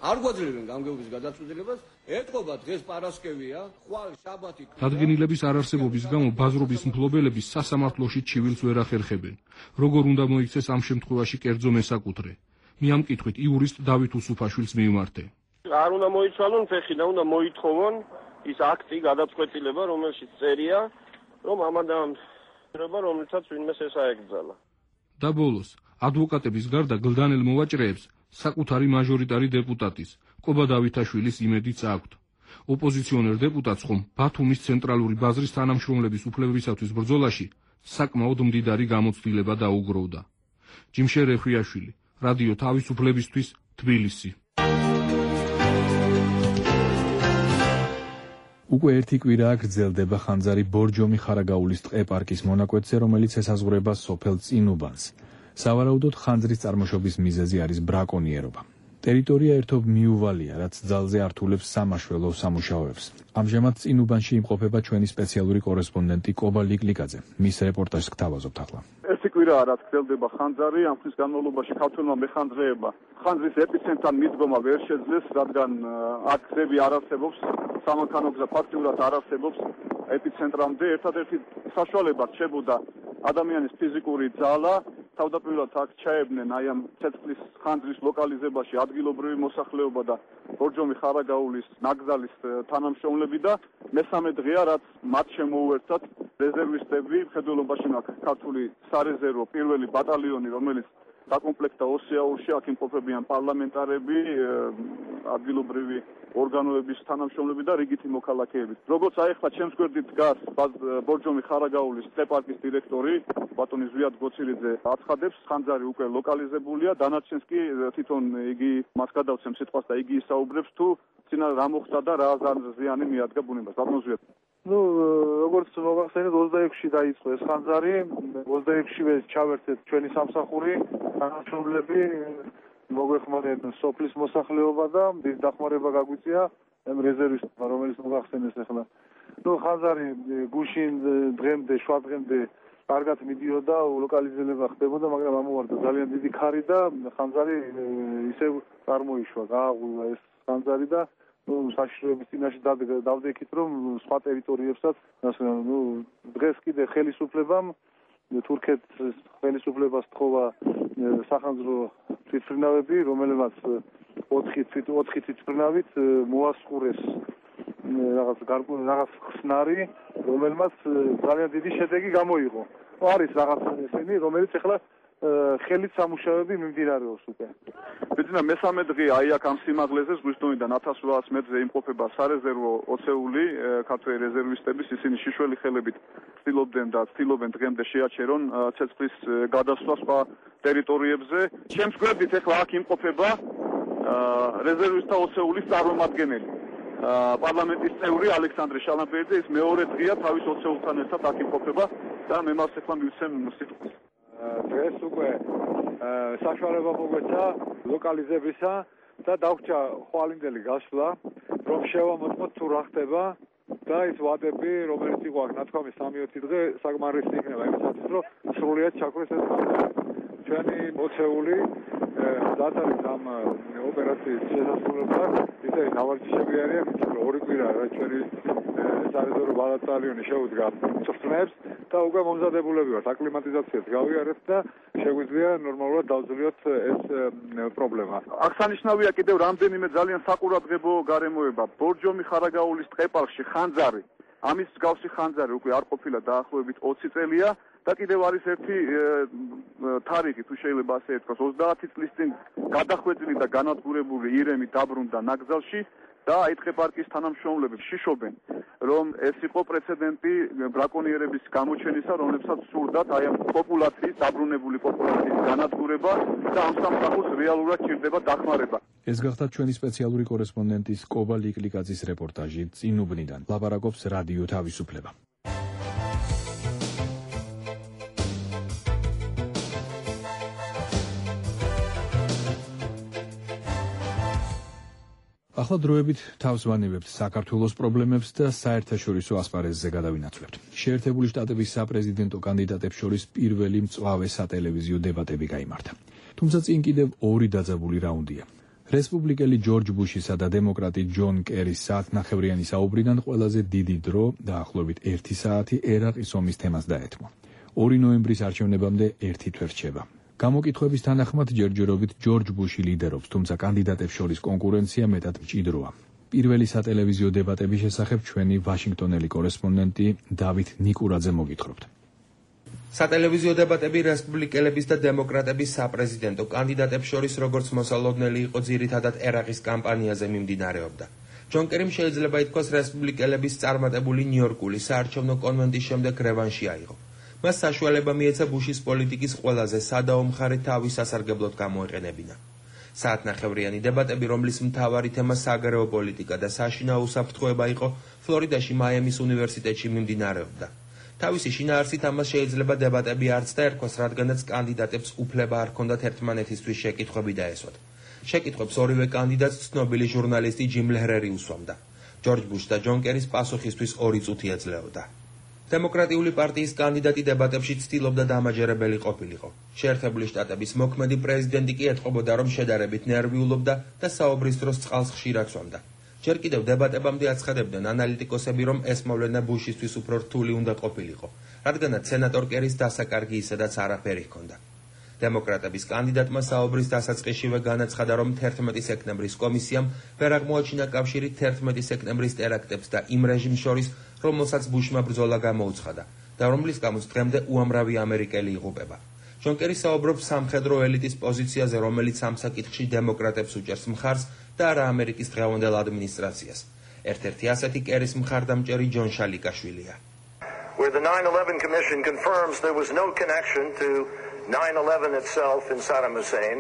არ გვაძლევენ გამგეობის გადაწყვეტილებას. ეთყობა დღეს პარასკევია, ხვალ შაბათი. დადგენილების არარსებობის გამო ბაზრობის მფლობელები სასამართლოში ჩივილს ვერ ახერხებენ. როგორ უნდა მოიქცეს ამ შემთხვევაში კერძო მესაკუთრე? მე ამ კითხვით იურისტ დავით უსუფაშვილს მივმართე. არ უნდა მოიცვალონ ფეხი და უნდა მოითხოვონ ის აქტი გადაწყვეტილება, რომელშიც წერია, რომ ამ ადამიანმა რომელსაც ვინმე ესაეგზალა. და ბოლოს, ადვოკატების გარდა გლდანელ მოვაჭრეებს საკუთარი მაჟორიტარი დეპუტატის, კობა დავითაშვილის იმედიც აქვთ. ოპოზიციონერ დეპუტატს ხომ ბათუმის ცენტრალური ბაზრის თანამშრომლების უფლებებისათვის ბრძოლაში საკმაოდ მდიდარი გამოცდილება დაუგროვდა. ჯიმშერ რეხვიაშვილი, რადიო თავისუფლებისთვის, თბილისი. უკვე ერთი კვირაა გრძელდება ხანძარი ბორჯომი ხარაგაულის ტყე-პარკის მონაკვეთზე, რომელიც ესაზღვრება სოფელ წინუბანს. სავარაუდოდ ხანძრის წარმოშობის მიზეზი არის ბრაკონიერობა. ტერიტორია ერთობ მიუვალია, რაც ძალზე ართულებს სამაშველო სამუშაოებს. ამჟამად წინუბანში იმყოფება ჩვენი სპეციალური კორესპონდენტი კობა ლიკლიკაძე. მის რეპორტაჟს გთავაზობთ ახლა. ერთი კვირაა, რაც გრძელდება ხანძარი, ამ ხნის განმავლობაში ქართველმა მეხანძრეებმა ხანძრის ეპიცენტრთან მიდგომა ვერ შეძლეს, რადგან აქ გზები არ არსებობს, სამანქანო გზა ფაქტიურად არ არსებობს ეპიცენტრამდე. ერთადერთი საშუალება რჩებოდა ადამიანის ფიზიკური ძალა, თავდაპირველად აქ ჩაებდნენ აი ამ ცეცხლის ხანძრის ლოკალიზებაში ადგილობრივი მოსახლეობა და ბორჯომი ხარაგაულის ნაკრძალის თანამშრომლები და მესამე დღეა, რაც მათ შემოუერთდათ რეზერვისტები, მხედველობაში მაქვს ქართული სარეზერვო პირველი ბატალიონი, რომელიც დაკომპლექტდა ოსიაურში, აქ იმყოფებიან პარლამენტარები, ადგილობრივი ორგანოების თანამშრომლები და რიგითი მოქალაქეები. როგორც აი ახლა ჩემს გვერდით დგას ბორჯომი ხარაგაულის ტეპარკის დირექტორი ბატონი ზვიად გოცირიძე აცხადებს, ხანძარი უკვე ლოკალიზებულია, დანარჩენს კი თვითონ იგი მას გადავცემ სიტყვას და იგი ისაუბრებს თუ წინა რა მოხდა და რა ზიანი მიადგა ბუნებას. ბატონ ზვიად. როგორც მოგახსენეთ 26-ში დაიწყო ეს ხანძარი, 26-ში ჩავერთეთ ჩვენი სამსახური, თანამშრომლები მოგვეხმარეთ სოფლის მოსახლეობა და დახმარება გაგვიწია რეზერვისტებმა, რომელიც მოგახსენეს ახლა. ხანძარი გუშინ დღემდე, შუა დღემდე კარგად მიდიოდა, ლოკალიზება ხდებოდა, მაგრამ ამოვარდა ძალიან დიდი ქარი და ხანძარი ისევ წარმოიშვა, გააღვივა ეს ხანძარი და საშიშროების წინაშე დავდექით, რომ სხვა ტერიტორიებსაც, დღეს კიდე ხელისუფლებამ თურქეთის ხელისუფლებას თხოვა სახანძრო თვითმფრინავები, რომელმაც 4 თვითმფრინავით მოასყურეს რაღაც ხსნარი, რომელმაც ძალიან დიდი შედეგი გამოიღო. არის რაღაც ესენი, რომელიც ახლა ხელით სამუშაოები მიმდინარეობს უკვე. ბიძინა მესამე დღე აი აქ ამ სიმაღლეზე ზღვისდონიდან 1800 მეტრზე იმყოფება სარეზერვო ოცეული ქართველი რეზერვისტების, ისინი შიშველი ხელებით ცდილობდნენ და ცდილობენ დღემდე შეაჩერონ ცეცხლის გადასვლა სხვა ტერიტორიებზე. ჩემს გვერდით ახლა აქ იმყოფება რეზერვისტთა ოცეულის წარმომადგენელი. პარლამენტის წევრი ალექსანდრე შალამბერდი, ის მეორე დღეა თავის ოცეულთან ერთად აქ იმყოფება და მე მას ახლა მივცემ სიტყვას. დღეს უკვე საშუალება მოგვეცა ლოკალიზებისა და დაგვჭა ხვალინდელი გასვლა, რომ შევამოწმოთ თუ რა ხდება და ის ვადები, რომელიც იყო აქ ნათქვამი 3-4 დღე საკმარისი იქნება იმისათვის, რომ სრულიად ჩაქრეს ეს ხანძარი. ჩვენი მოცეული რაც არის ამ ოპერაციის შესასრულებლად, ისე ნავარჯიშები არიან, ორი კვირა რა ჩვენი სარეზერვო ბატალიონი შეუდგა წვრთნებს და უკვე მომზადებულები ვართ აკლიმატიზაციას გავიარეთ და შეგვიძლია ნორმალურად დავძლიოთ ეს პრობლემა. აქ სანიშნავია კიდევ რამდენიმე ძალიან საყურადღებო გარემოება. ბორჯომი ხარაგაულის ტყეპარკში ხანძარი, ამის მსგავსი ხანძარი უკვე არ ყოფილა დაახლოებით 20 წელია და კიდევ არის ერთი თარიღი, თუ შეიძლება ასე ითქვას, 30 წლის წინ გადახვეწილი და განადგურებული ირემი დაბრუნდა ნაკრძალში და აი ტყეპარკის თანამშრომლები შიშობენ, რომ ეს იყო პრეცედენტი ბრაკონიერების გამოჩენისა, რომლებსაც სურდათ აი ამ პოპულაციის, დაბრუნებული პოპულაციის განადგურება და ამ სამსახურს რეალურად ჭირდება დახმარება. ეს გახდა ჩვენი სპეციალური კორესპონდენტის კობა ლიკლიკაძის რეპორტაჟი წინუბნიდან. ლაპარაკობს რადიო თავისუფლება. ახლა დროებით თავს ვანებებთ საქართველოს პრობლემებს და საერთაშორისო ასპარეზზე გადავინაცვლებთ. შეერთებული შტატების საპრეზიდენტო კანდიდატებს შორის პირველი მწვავე სატელევიზიო დებატები გაიმართა. თუმცა წინ კიდევ ორი დაძაბული რაუნდია. რესპუბლიკელი ჯორჯ ბუშისა და დემოკრატი ჯონ კერის საათნახევრიანი საუბრიდან ყველაზე დიდი დრო დაახლოებით 1 საათი ერაყის ომის თემას დაეთმო. 2 ნოემბრის არჩევნებამდე 1 თვე რჩება. გამოკითხვების თანახმად ჯერჯერობით ჯორჯ ბუში ლიდერობს, თუმცა კანდიდატებს შორის კონკურენცია მეტად მჭიდროა. პირველი სატელევიზიო დებატების შესახებ ჩვენი ვაშინგტონელი კორესპონდენტი დავით ნიკურაძე მოგითხრობთ. სატელევიზიო დებატები რესპუბლიკელების და დემოკრატების საპრეზიდენტო კანდიდატებს შორის როგორც მოსალოდნელი იყო ძირითადად ერაყის კამპანიაზე მიმდინარეობდა. ჯონ კერიმ შეიძლება ითქვას რესპუბლიკელების წარმატებული ნიუ-იორკული საარჩევნო კონვენტის შემდეგ რევანში აიღო. მას საშუალება მიეცა ბუშის პოლიტიკის ყველაზე სადაო მხარე თავის სასარგებლოდ გამოეყენებინა. საათნახევრიანი დებატები, რომლის მთავარი თემა საგარეო პოლიტიკა და საშინაო უსაფრთხოება იყო, ფლორიდაში მაიამის უნივერსიტეტში მიმდინარეობდა. თავისი შინაარსით ამას შეიძლება დებატები არც დაერქვას, რადგანაც კანდიდატებს უფლება არ ჰქონდათ ერთმანეთისთვის შეკითხვები დაესვათ. შეკითხვებს ორივე კანდიდატს ცნობილი ჟურნალისტი ჯიმ ლეჰრერი უსვამდა. ჯორჯ ბუშს და ჯონ კერის პასუხისთვის 2 წუთი ეძლეოდა. დემოკრატიული პარტიის კანდიდატი დებატებში ცდილობდა დამაჯერებელი ყოფილიყო. შეერთებული შტატების მოქმედი პრეზიდენტი კი ეთყობოდა, რომ შედარებით ნერვიულობდა და საუბრის დროს წყალს ხშირად სვამდა. ჯერ კიდევ დებატებამდე აცხადებდნენ ანალიტიკოსები, რომ ეს მოვლენა ბუშისთვის უფრო რთული უნდა ყოფილიყო, რადგანაც სენატორ კერის დასაკარგი ისედაც არაფერი ჰქონდა. დემოკრატების კანდიდატმა საუბრის დასაწყისშივე განაცხადა, რომ 11 სექტემბრის კომისიამ ვერ აღმოაჩინა კავშირი 11 სექტემბრის ტერაქტებს და იმ რეჟიმს შორის, რომელსაც ბუშმა ბრძოლა გამოუცხადა და რომლის გამოც დღემდე უამრავი ამერიკელი იღუპება. ჯონ კერი საუბრობს სამხედრო ელიტის პოზიციაზე, რომელიც ამ საკითხში დემოკრატებს უჭერს მხარს და არა ამერიკის დღევანდელ ადმინისტრაციას. ერთ-ერთი ასეთი კერის მხარდამჭერი ჯონ შალიკაშვილია. Where the 9/11 Commission confirms there was no connection to 9/11 itself in Saddam Hussein.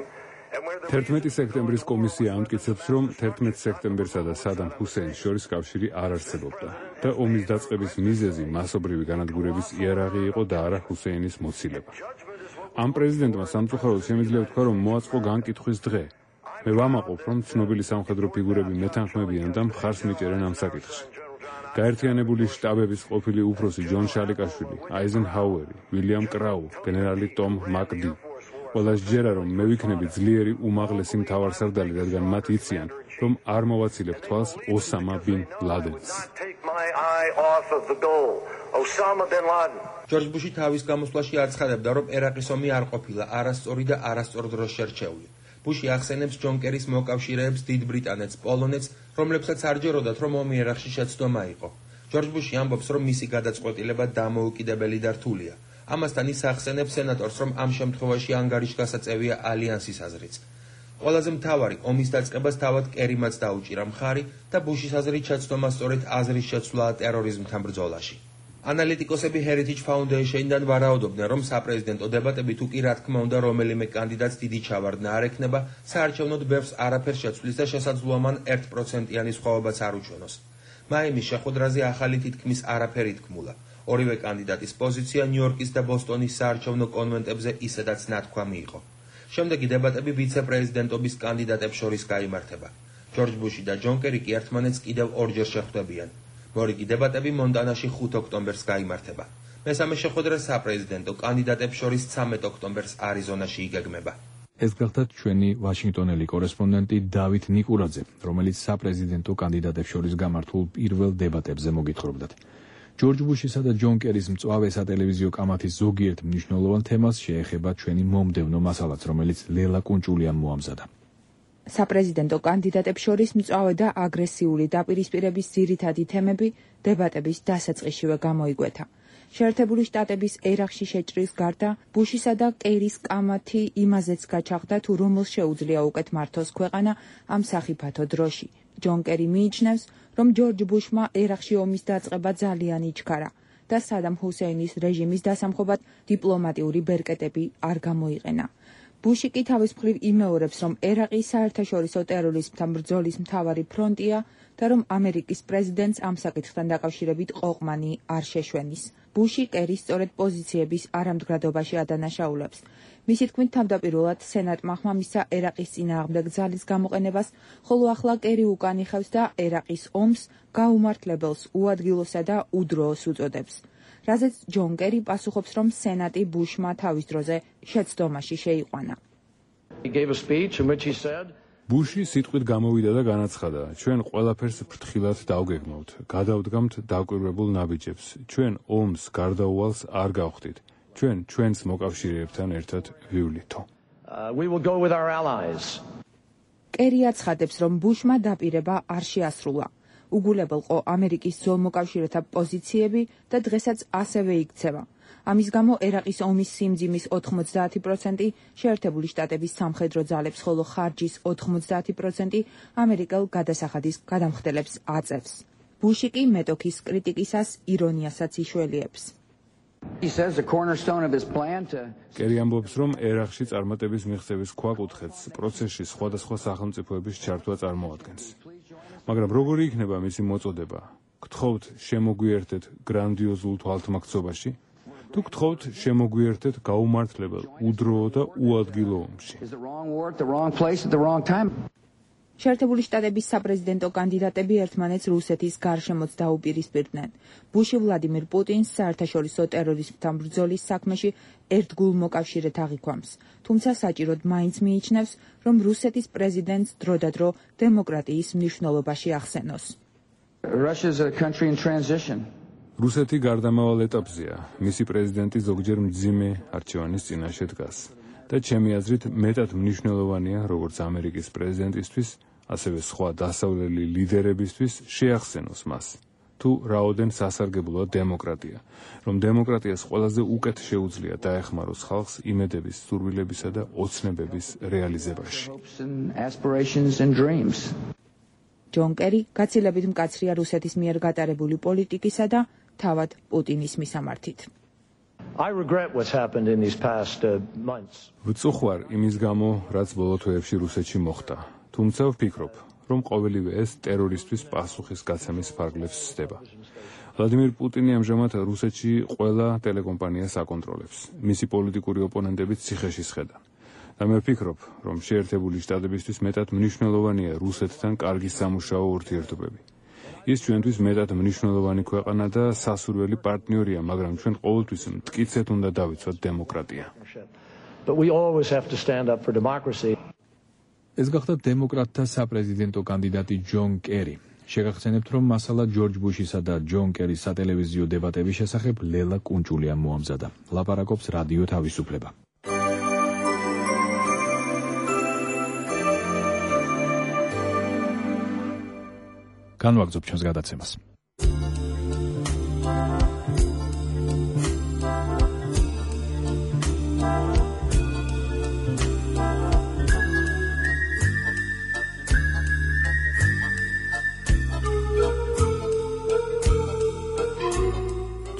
11 სექტემბრის კომისია ამტკიცებს, რომ 11 სექტემბერსა და სადამ ჰუსეინს შორის კავშირი არ არსებობდა და ომის დაწყების მიზეზი მასობრივი განადგურების იარაღი იყო და არა ჰუსეინის მოცილება. ამ პრეზიდენტმა სამწუხაროდ შემიძლია ვთქვა, რომ მოაწყო განკითხვის დღე. მე ვამაყობ, რომ ცნობილი სამხედრო ფიგურები მეთანხმებიან და მხარს მიჭერენ ამ საკითხში. გაერთიანებული შტაბების ყოფილი უფროსი ჯონ შალიკაშვილი, აიზენჰაუერი, ვილიამ კრაუ, გენერალი ტომ მაკდი. ყველას ჯერა, რომ მე ვიქნები ძლიერი უმაღლესი მთავარსარდალი, რადგან მათ იციან, რომ არ მოვაცილებ თვალს ოსამა ბინ ლადენს. ჯორჯ ბუში თავის გამოსვლაში აცხადებდა, რომ ერაყის ომი არ ყოფილა არასწორი და არასწორ დროს შერჩეული. ბუში ახსენებს ჯონ კერის მოკავშირეებს დიდ ბრიტანეთს, პოლონეთს, რომლებსაც არ ჯეროდათ, რომ ომი ერაყში შეცდომა იყო. ჯორჯ ბუში ამბობს, რომ მისი გადაწყვეტილება დამოუკიდებელი და რთულია. ამასთან ის ახსენებს სენატორს, რომ ამ შემთხვევაში ანგარიშგასაწევია ალიანსის აზრიც. ყველაზე მთავარი ომის დაწყებას თავად კერიმაც დაუჭირა მხარი და ბუშის აზრით შეცდომა სწორედ აზრის შეცვლაა ტერორიზმთან ბრძოლაში. ანალიტიკოსები Heritage Foundation-დან ვარაუდობდნენ, რომ საპრეზიდენტო დებატები თუ კი რა თქმა უნდა რომელიმე კანდიდატს დიდი ჩავარდნა არ ექნება, საარჩევნოდ ბევრს არაფერს შეცვლის და შესაძლოა მან 1%-იანი სხვაობაც არ უჩვენოს. მაიმის შეხვედრაზე ახალი თითქმის არაფერი თქმულა. ორივე კანდიდატის პოზიცია ნიუ-იორკის და ბოსტონის საარჩევნო კონვენტებზე ისედაც ნათქვამი იყო. შემდეგი დებატები ვიცე-პრეზიდენტობის კანდიდატებს შორის გაიმართება. ჯორჯ ბუში და ჯონ კერი კი ერთმანეთს კიდევ ორჯერ შეხვდებიან. მორიგი დებატები მონტანაში 5 ოქტომბერს გაიმართება. მესამე შეხვედრა საპრეზიდენტო კანდიდატებს შორის 13 ოქტომბერს არიზონაში იგეგმება. ეს გახლდათ ჩვენი ვაშინგტონელი კორესპონდენტი დავით ნიკურაძე, რომელიც საპრეზიდენტო კანდიდატებს შორის გამართულ პირველ დებატებზე მოგითხრობდათ. ჯორჯ ბუშისა და ჯონ კერის მწვავე სატელევიზიო კამათის ზოგიერთ მნიშვნელოვან თემას შეეხება ჩვენი მომდევნო მასალაც, რომელიც ლელა კუნჭულიამ მოამზადა. საპრეზიდენტო კანდიდატებს შორის მწვავე და აგრესიული დაპირისპირების ძირითადი თემები დებატების დასაწყისშივე გამოიკვეთა. შეერთებული შტატების ერაყში შეჭრის გარდა, ბუშისა და კერის კამათი იმაზეც გაჩაღდა, თუ რომელ შეუძლია უკეთ მართოს ქვეყანა ამ სახიფათო დროში. ჯონ კერი მიიჩნევს, რომ ჯორჯ ბუშმა ერაყში ომის დაწყება ძალიან იჩქარა და სადამ ჰუსეინის რეჟიმის დასამხობად დიპლომატიური ბერკეტები არ გამოიყენა. ბუში კი თავის მხრივ იმეორებს, რომ ერაყი საერთაშორისო ტერორიზმთან ბრძოლის მთავარი ფრონტია და რომ ამერიკის პრეზიდენტს ამ საკითხთან დაკავშირებით ყოყმანი არ შეშვენის. ბუში კერის სწორედ პოზიციების არამდგრადობაში ადანაშაულებს. მისი თქმით, თავდაპირველად სენატმა ხმამისცა ერაყის წინააღმდეგ ძალის გამოყენებას, ხოლო ახლა კერი უკან იხევს და ერაყის ომს გაუმართლებელს, უადგილოსა და უდროოს უწოდებს. რაზეც ჯონ კერი პასუხობს, რომ სენატი ბუშმა თავის დროზე შეცდომაში შეიყვანა. ბუში სიტყვით გამოვიდა და განაცხადა, ჩვენ ყველაფერს ფრთხილად დავგეგმავთ, გადავდგამთ დაკვირვებულ ნაბიჯებს, ჩვენ ომს გარდაუვალს არ გავხდით, ჩვენ ჩვენს მოკავშირეებთან ერთად ვივლითო. კერი აცხადებს, რომ ბუშმა დაპირება არ შეასრულა. უგულებელყო ამერიკის ძოლმოკავშირეთა პოზიციები და დღესაც ასევე იქცევა. ამის გამო ერაყის ომის სიმძიმის 90% შეერთებული შტატების სამხედრო ძალებს, ხოლო ხარჯის 90% ამერიკელ გადასახადის გადამხდელებს აწევს. ბუში კი მეტოქის კრიტიკისას ირონიასაც იშველიებს. კერი ამბობს, რომ ერაყში წარმატების მიღწევის ქვაკუთხედს პროცესში სხვადასხვა სახელმწიფოების ჩართვა წარმოადგენს. მაგრამ როგორი იქნება მისი მოწოდება? გთხოვთ შემოგვიერთეთ გრანდიოზულ თვალთმაქცობაში? თუ გთხოვთ შემოგვიერთეთ გაუმართლებელ, უდროო და უადგილო ომში. შეერთებული შტატების საპრეზიდენტო კანდიდატები ერთმანეთს რუსეთის გარშემოც დაუპირისპირდნენ. ბუში ვლადიმირ პუტინს საერთაშორისო ტერორიზმთან ბრძოლის საქმეში ერთგულ მოკავშირედ აღიქვამს, თუმცა საჭიროდ მაინც მიიჩნევს, რომ რუსეთის პრეზიდენტს დროდადრო დემოკრატიის მნიშვნელობაში ახსენოს. რუსეთი გარდამავალ ეტაპზეა. მისი პრეზიდენტი ზოგჯერ მძიმე არჩევანის წინაშე დგას და ჩემი აზრით მეტად მნიშვნელოვანია, როგორც ამერიკის პრეზიდენტისთვის, ასევე სხვა დასავლელი ლიდერებისთვის შეახსენოს მას, თუ რაოდენ სასარგებლოა დემოკრატია, რომ დემოკრატიას ყველაზე უკეთ შეუძლია დაეხმაროს ხალხს იმედების, სურვილებისა და ოცნებების რეალიზებაში. ჯონ კერი გაცილებით მკაცრია რუსეთის მიერ გატარებული პოლიტიკისა და თავად პუტინის მისამართით. ვწუხვარ იმის გამო, რაც ბოლო თვეებში რუსეთში მოხდა. თუმცა ვფიქრობ, რომ ყოველივე ეს ტერორისთვის პასუხის გაცემის ფარგლებს სცდება. ვლადიმირ პუტინი ამჟამად რუსეთში ყველა ტელეკომპანიას აკონტროლებს. მისი პოლიტიკური ოპონენტებიც ციხეში სხედან. და მე ვფიქრობ, რომ შეერთებული შტატებისთვის მეტად მნიშვნელოვანია რუსეთთან კარგი სამუშაო ურთიერთობები. ის ჩვენთვის მეტად მნიშვნელოვანი ქვეყანა და სასურველი პარტნიორია, მაგრამ ჩვენ ყოველთვის მტკიცედ უნდა დავიცვათ დემოკრატია. ეს გახდა დემოკრატთა საპრეზიდენტო კანდიდატი ჯონ კერი. შეგახსენებთ, რომ მასალა ჯორჯ ბუშისა და ჯონ კერის სატელევიზიო დებატების შესახებ ლელა კუნჭულიამ მოამზადა. ლაპარაკობს რადიო თავისუფლება. განვაგრძობ ჩვენს გადაცემას.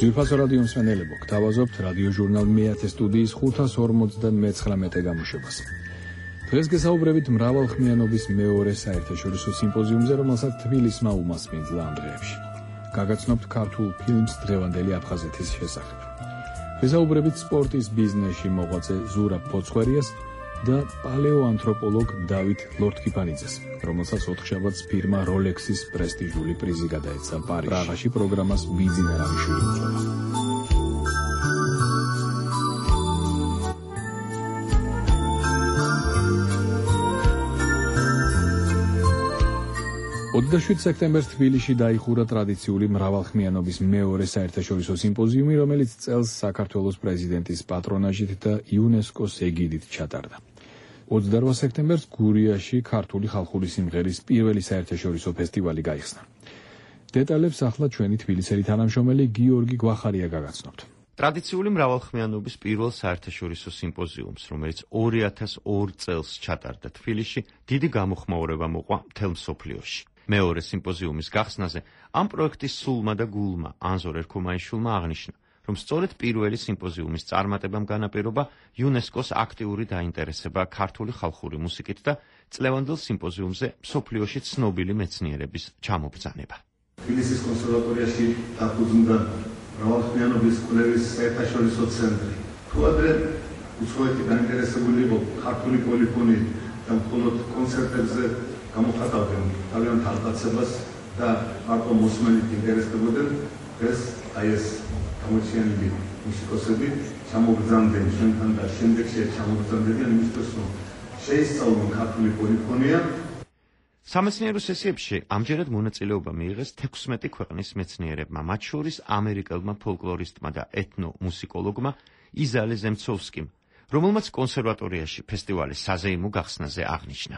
ძვირფასო რადიო მსმენელებო, გთავაზობთ რადიო ჟურნალ მეათე სტუდიის 559 გამოშვებას. დღეს გესაუბრებით მრავალხმიანობის მეორე საერთაშორისო სიმპოზიუმზე, რომელსაც თბილისმა უმასპინძლა ამ დღეებში. გაგაცნობთ ქართულ ფილმს დღევანდელი აფხაზეთის შესახებ. გესაუბრებით სპორტის ბიზნესში მოღვაწე ზურაბ ფოცხვერიას და პალეოანთროპოლოგ დავით ლორთქიფანიძეს, რომელსაც ოთხშაბათს ფირმა როლექსის პრესტიჟული პრიზი გადაეცა პარიზში. პრაღაში პროგრამას ბიძინა რამიშვილი უძღვება. 27 სექტემბერს თბილისში დაიხურა ტრადიციული მრავალხმიანობის მეორე საერთაშორისო სიმპოზიუმი, რომელიც წელს საქართველოს პრეზიდენტის პატრონაჟით და იუნესკოს ეგიდით ჩატარდა. 28 სექტემბერს გურიაში ქართული ხალხური სიმღერის პირველი საერთაშორისო ფესტივალი გაიხსნა. დეტალებს ახლა ჩვენი თბილისელი თანამშრომელი გიორგი გვახარია გაგაცნობთ. ტრადიციული მრავალხმიანობის პირველ საერთაშორისო სიმპოზიუმს, რომელიც 2002 წელს ჩატარდა თბილისში, დიდი გამოხმაურება მოყვა მთელ მსოფლიოში. მეორე სიმპოზიუმის გახსნაზე ამ პროექტის სულმა და გულმა ანზორ ერქომაიშვილმა აღნიშნა, რომ სწორედ პირველი სიმპოზიუმის წარმატებამ განაპირობა იუნესკოს აქტიური დაინტერესება ქართული ხალხური მუსიკით და წლევანდელ სიმპოზიუმზე მსოფლიოში ცნობილი მეცნიერების ჩამობრძანება. თბილისის კონსერვატორიაში დაფუძნდა მრავალხმიანობის კვლევის საერთაშორისო ცენტრი. თუ ადრე უცხოეთი დაინტერესებული იყო ქართული პოლიფონიით და მხოლოდ კონცერტებზე გამოხატავდნენ თავიანთ აღწევას და მარტო მოსმენით ინტერესდებოდნენ, დღეს აი ეს გამოჩენილი მუსიკოსები ჩამოგზავნდნენ ჩვენთან და შემდეგში ჩამოგზავნდნენ იმისთვის, რომ შეისწავლონ ქართული პოლიფონია. სამეცნიერო სესიებში ამჯერად მონაწილეობა მიიღეს 16 ქვეყნის მეცნიერებმა, მათ შორის ამერიკელმა ფოლკლორისტმა და ეთნომუსიკოლოგმა იზალე ზემცოვსკიმ, რომელმაც კონსერვატორიაში ფესტივალის საზეიმო გახსნაზე აღნიშნა.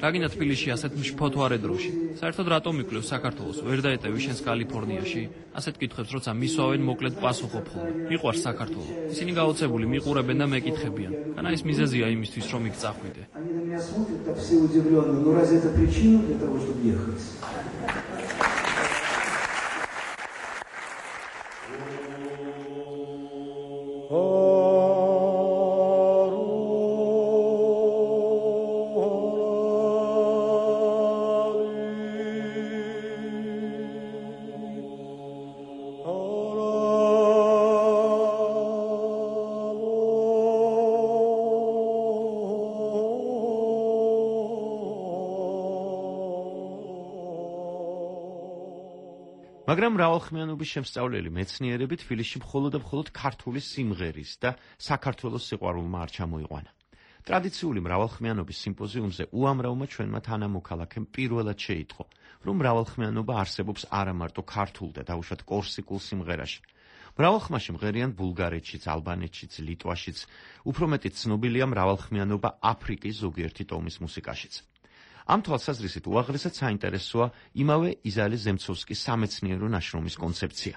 რაგინა თბილისში ასეთ მშფოთვარე დროში? საერთოდ რატომ მიკლევს საქართველოს? ვერ დაეტევი შენს კალიფორნიაში? ასეთ კითხვებს როცა მისვავენ, მოკლედ პასუხობ ხოლმე. მიყვარს საქართველო. ისინი გაოცებული მიყურებენ და მეკითხებიან. განა ის მიზეზია იმისთვის, რომ იქ წახვიდე. მაგრამ მრავალხმიანობის შემსწავლელი მეცნიერები თბილისში მხოლოდ და მხოლოდ ქართული სიმღერის და საქართველოს სიყვარულმა არ ჩამოიყვანა. ტრადიციული მრავალხმიანობის სიმპოზიუმზე უამრავმა ჩვენმა თანამოქალაქემ პირველად შეიტყო, რომ მრავალხმიანობა არსებობს არა მარტო ქართულ და დაუშვათ კორსიკულ სიმღერაში. მრავალხმაში მღერიან ბულგარეთშიც, ალბანეთშიც, ლიტვაშიც, უფრო მეტი ცნობილია მრავალხმიანობა აფრიკის ზოგიერთი ტომის მუსიკაშიც. ამ თვალსაზრისით უაღრესად საინტერესოა იმავე იზალი ზემცოვსკის სამეცნიერო ნაშრომის კონცეფცია.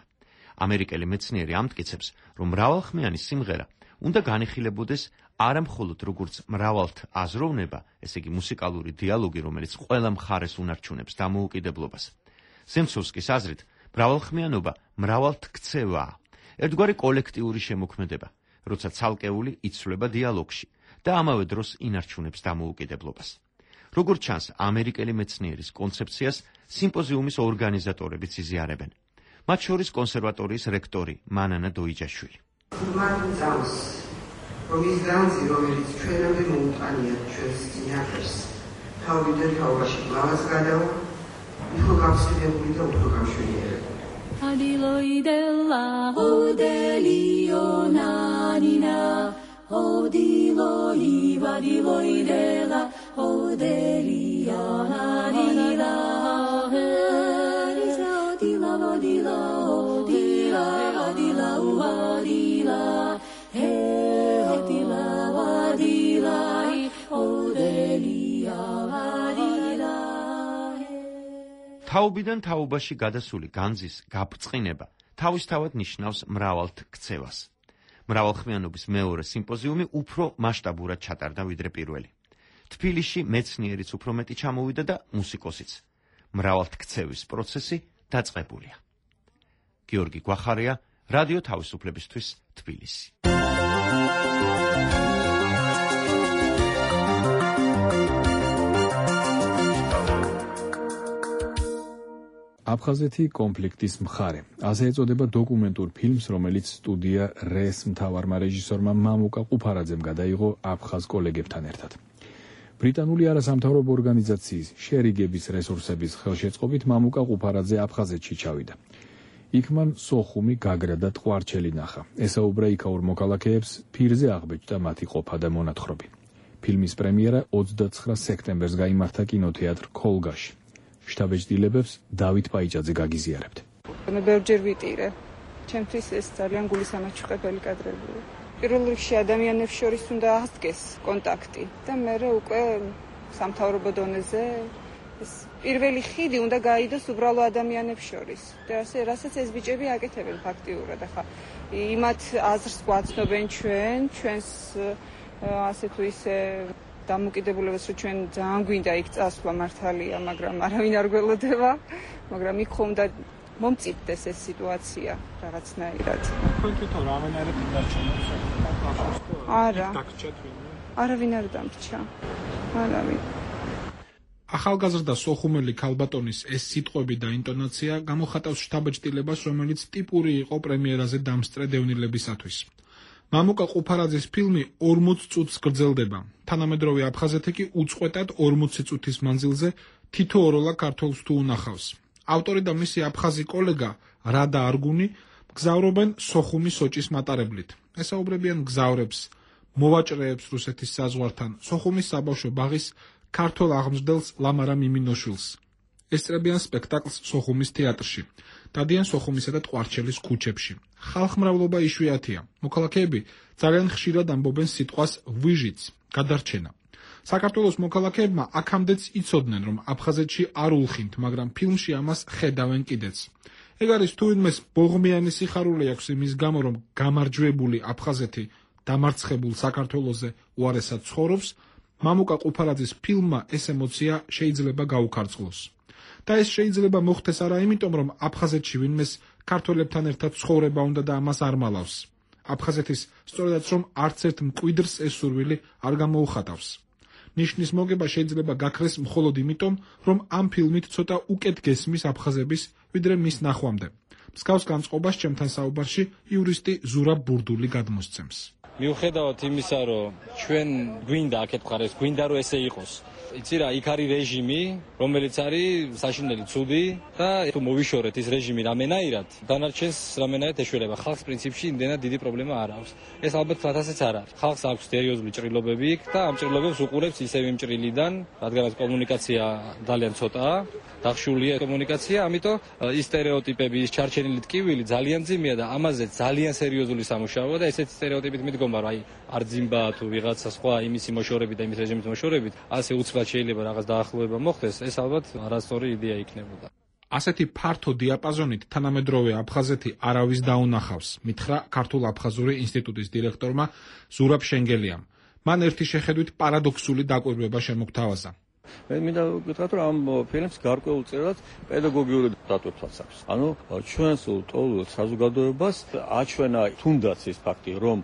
ამერიკელი მეცნიერი ამტკიცებს, რომ მრავალხმიანი სიმღერა უნდა განიხილებოდეს არა მხოლოდ როგორც მრავალთ აზროვნება, ესე იგი მუსიკალური დიალოგი, რომელიც ყველა მხარეს უნარჩუნებს დამოუკიდებლობას. ზემცოვსკის აზრით, მრავალხმიანობა მრავალთ ქცევაა, ერთგვარი კოლექტიური შემოქმედება, როცა ცალკეული იცვლება დიალოგში და ამავე დროს ინარჩუნებს დამოუკიდებლობას. როგორც ჩანს, ამერიკელი მეცნიერის კონცეფციას სიმპოზიუმის ორგანიზატორებიც იზიარებენ. მათ შორის კონსერვატორიის რექტორი მანანა დოიჯაშვილი. რომ ის განძი, რომელიც ჩვენამდე მოუტანიათ ჩვენს წინაპრებს, თავიდან თავაში გლავას გადავა, იყო გავსვიდებული და უფრო გამშვენიერებული. Adiloidella, odelionanina, odiloiva, diloidella, odelionanina, odila, odila, odila, odila, odila, თაობიდან თაობაში გადასული განძის გაბწყინება თავისთავად ნიშნავს მრავალთ ქცევას. მრავალხმიანობის მეორე სიმპოზიუმი უფრო მასშტაბურად ჩატარდა ვიდრე პირველი. თბილისში მეცნიერიც უფრო მეტი ჩამოვიდა და მუსიკოსიც. მრავალთ ქცევის პროცესი დაწყებულია. გიორგი გვახარია, რადიო თავისუფლებისთვის, თბილისი. აფხაზეთი კონფლიქტის მხარე. ასე ეწოდება დოკუმენტურ ფილმს, რომელიც სტუდია რეს მთავარმა რეჟისორმა მამუკა ყუფარაძემ გადაიღო აფხაზ კოლეგებთან ერთად. ბრიტანული არასამთავრობო ორგანიზაციის შერიგების რესურსების ხელშეწყობით მამუკა ყუფარაძე აფხაზეთში ჩავიდა. იქ მან სოხუმი, გაგრა და ტყვარჩელი ნახა. ესაუბრა იქაურ მოქალაქეებს, ფირზე აღბეჭდა მათი ყოფა და მონათხრობი. ფილმის პრემიერა 29 სექტემბერს გაიმართა კინოთეატრ ქოლგაში. შტაბ-ეჭდილებებს დავით პაიჭაძე გაგიზიარებთ. მე ბევრჯერ ვიტირე. ჩემთვის ეს ძალიან გულისამაჩუყებელი კადრებია. პირველ რიგში ადამიანებს შორის უნდა აღდგეს კონტაქტი და მერე უკვე სამთავრობო დონეზე ეს პირველი ხიდი უნდა გაიდოს უბრალო ადამიანებს შორის. და ასე რასაც ეს ბიჭები აკეთებენ ფაქტიურად. ახლა იმათ აზრს გვაცნობენ ჩვენს ასე თუ ისე დამოკიდებულებას, რომ ჩვენ ძალიან გვინდა იქ წასვლა მართალია, მაგრამ არავინ არ გველოდება, მაგრამ იქ ხომ და მომწიფდეს ეს სიტუაცია რაღაცნაირად. თქვენ თვითონ რამენაირად დარჩენთ? არა. არავინ არ დამრჩა. არავინ. ახალგაზრდა სოხუმელი ქალბატონის ეს სიტყვები და ინტონაცია გამოხატავს შტაბ-ეჭდილებას, რომელიც ტიპური იყო პრემიერაზე დამსწრე დევნილებისათვის. მამუკა ყუფარაძის ფილმი 40 წუთს გრძელდება. თანამედროვე აფხაზეთი კი უწყვეტად 40 წუთის მანძილზე თითოეულ ქართველს თუ უნახავს. ავტორი და მისი აფხაზი კოლეგა რადა არგუნი გზავრობენ სოხუმის სოჭის მატარებლით. ესაუბრებიან გზავრებს, მოვაჭრეებს რუსეთის საზღვართან, სოხუმის საბავშვო ბაღის ქართველ აღმზრდელს ლამარა მიმინოშვილს. ესწრებიან სპექტაკლს სოხუმის თეატრში. დადიან სოხუმისა და ტყვარჩელის ქუჩებში. ხალხმრავლობა იშვიათია. მოქალაქეები ძალიან ხშირად ამბობენ სიტყვას ვიჟიც, გადარჩენა. საქართველოს მოქალაქეებმა აქამდეც იცოდნენ, რომ აფხაზეთში არ ულხინთ, მაგრამ ფილმში ამას ხედავენ კიდეც. ეგ არის თუინმეს ბოღმიანი სიხარული აქვს იმის გამო, რომ გამარჯვებული აფხაზეთი დამარცხებულ საქართველოზე უარესად ცხოვრობს, მამუკა ყუფარაძის ფილმმა ეს ემოცია შეიძლება გაუქარწყლოს. და ეს შეიძლება მოხდეს არა იმიტომ, რომ აფხაზეთში ვინმეს ქართველებთან ერთად ცხოვრება უნდა და ამას არ მალავს. აფხაზეთის სწორედაც რომ არც ერთ მკვიდრს ეს სურვილი არ გამოუხატავს. ნიშნის მოგება შეიძლება გაქრეს მხოლოდ იმიტომ, რომ ამ ფილმით ცოტა უკეთ გესმის აფხაზების, ვიდრე მის ნახვამდე. მსგავს განწყობას ჩემთან საუბარში იურისტი ზურაბ ბურდული გადმოსცემს. მიუხედავად იმისა, რომ ჩვენ გვინდა აქეთ მხარეს, გვინდა რომ ესე იყოს. იცი რა, იქ არის რეჟიმი, რომელიც არის საშინელი ცუდი და თუ მოვიშორეთ ის რეჟიმი რამენაირად, დანარჩენს რამენაირად ეშველება. ხალხს პრინციპში იმდენად დიდი პრობლემა არ აქვს. ეს ალბათ ფათასეც არ არის. ხალხს აქვს სერიოზული ჭრილობები იქ და ამ ჭრილობებს უყურებს ისევ იმ ჭრილიდან, რადგანაც კომუნიკაცია ძალიან ცოტაა, დახშულია კომუნიკაცია, ამიტომ ის სტერეოტიპები, ის ჩარჩენილი ტკივილი ძალიან ძიმეა და ამაზე ძალიან სერიოზული სამუშაოა და ესეთი სტერეოტიპით მიდგომა, რომ აი არძიმბა თუ ვიღაცა სხვა იმისი მოშორებით და იმის რეჟიმის მოშორებით, ასე უცბად შეიძლება რაღაც დაახლოება მოხდეს, ეს ალბათ არასწორი იდეა იქნებოდა. ასეთი ფართო დიაპაზონით თანამედროვე აფხაზეთი არავის დაუნახავს, მითხრა ქართულ-აფხაზური ინსტიტუტის დირექტორმა ზურაბ შენგელიამ. მან ერთი შეხედვით პარადოქსული დაკვირვება შემოგთავაზა. მე მინდა ვკითხოთ, რომ ამ ფილმს გარკვეულწილად პედაგოგიური დატვირთვაც აქვს. ანუ ჩვენს ლტოლვილ საზოგადოებას აჩვენა თუნდაც ის ფაქტი, რომ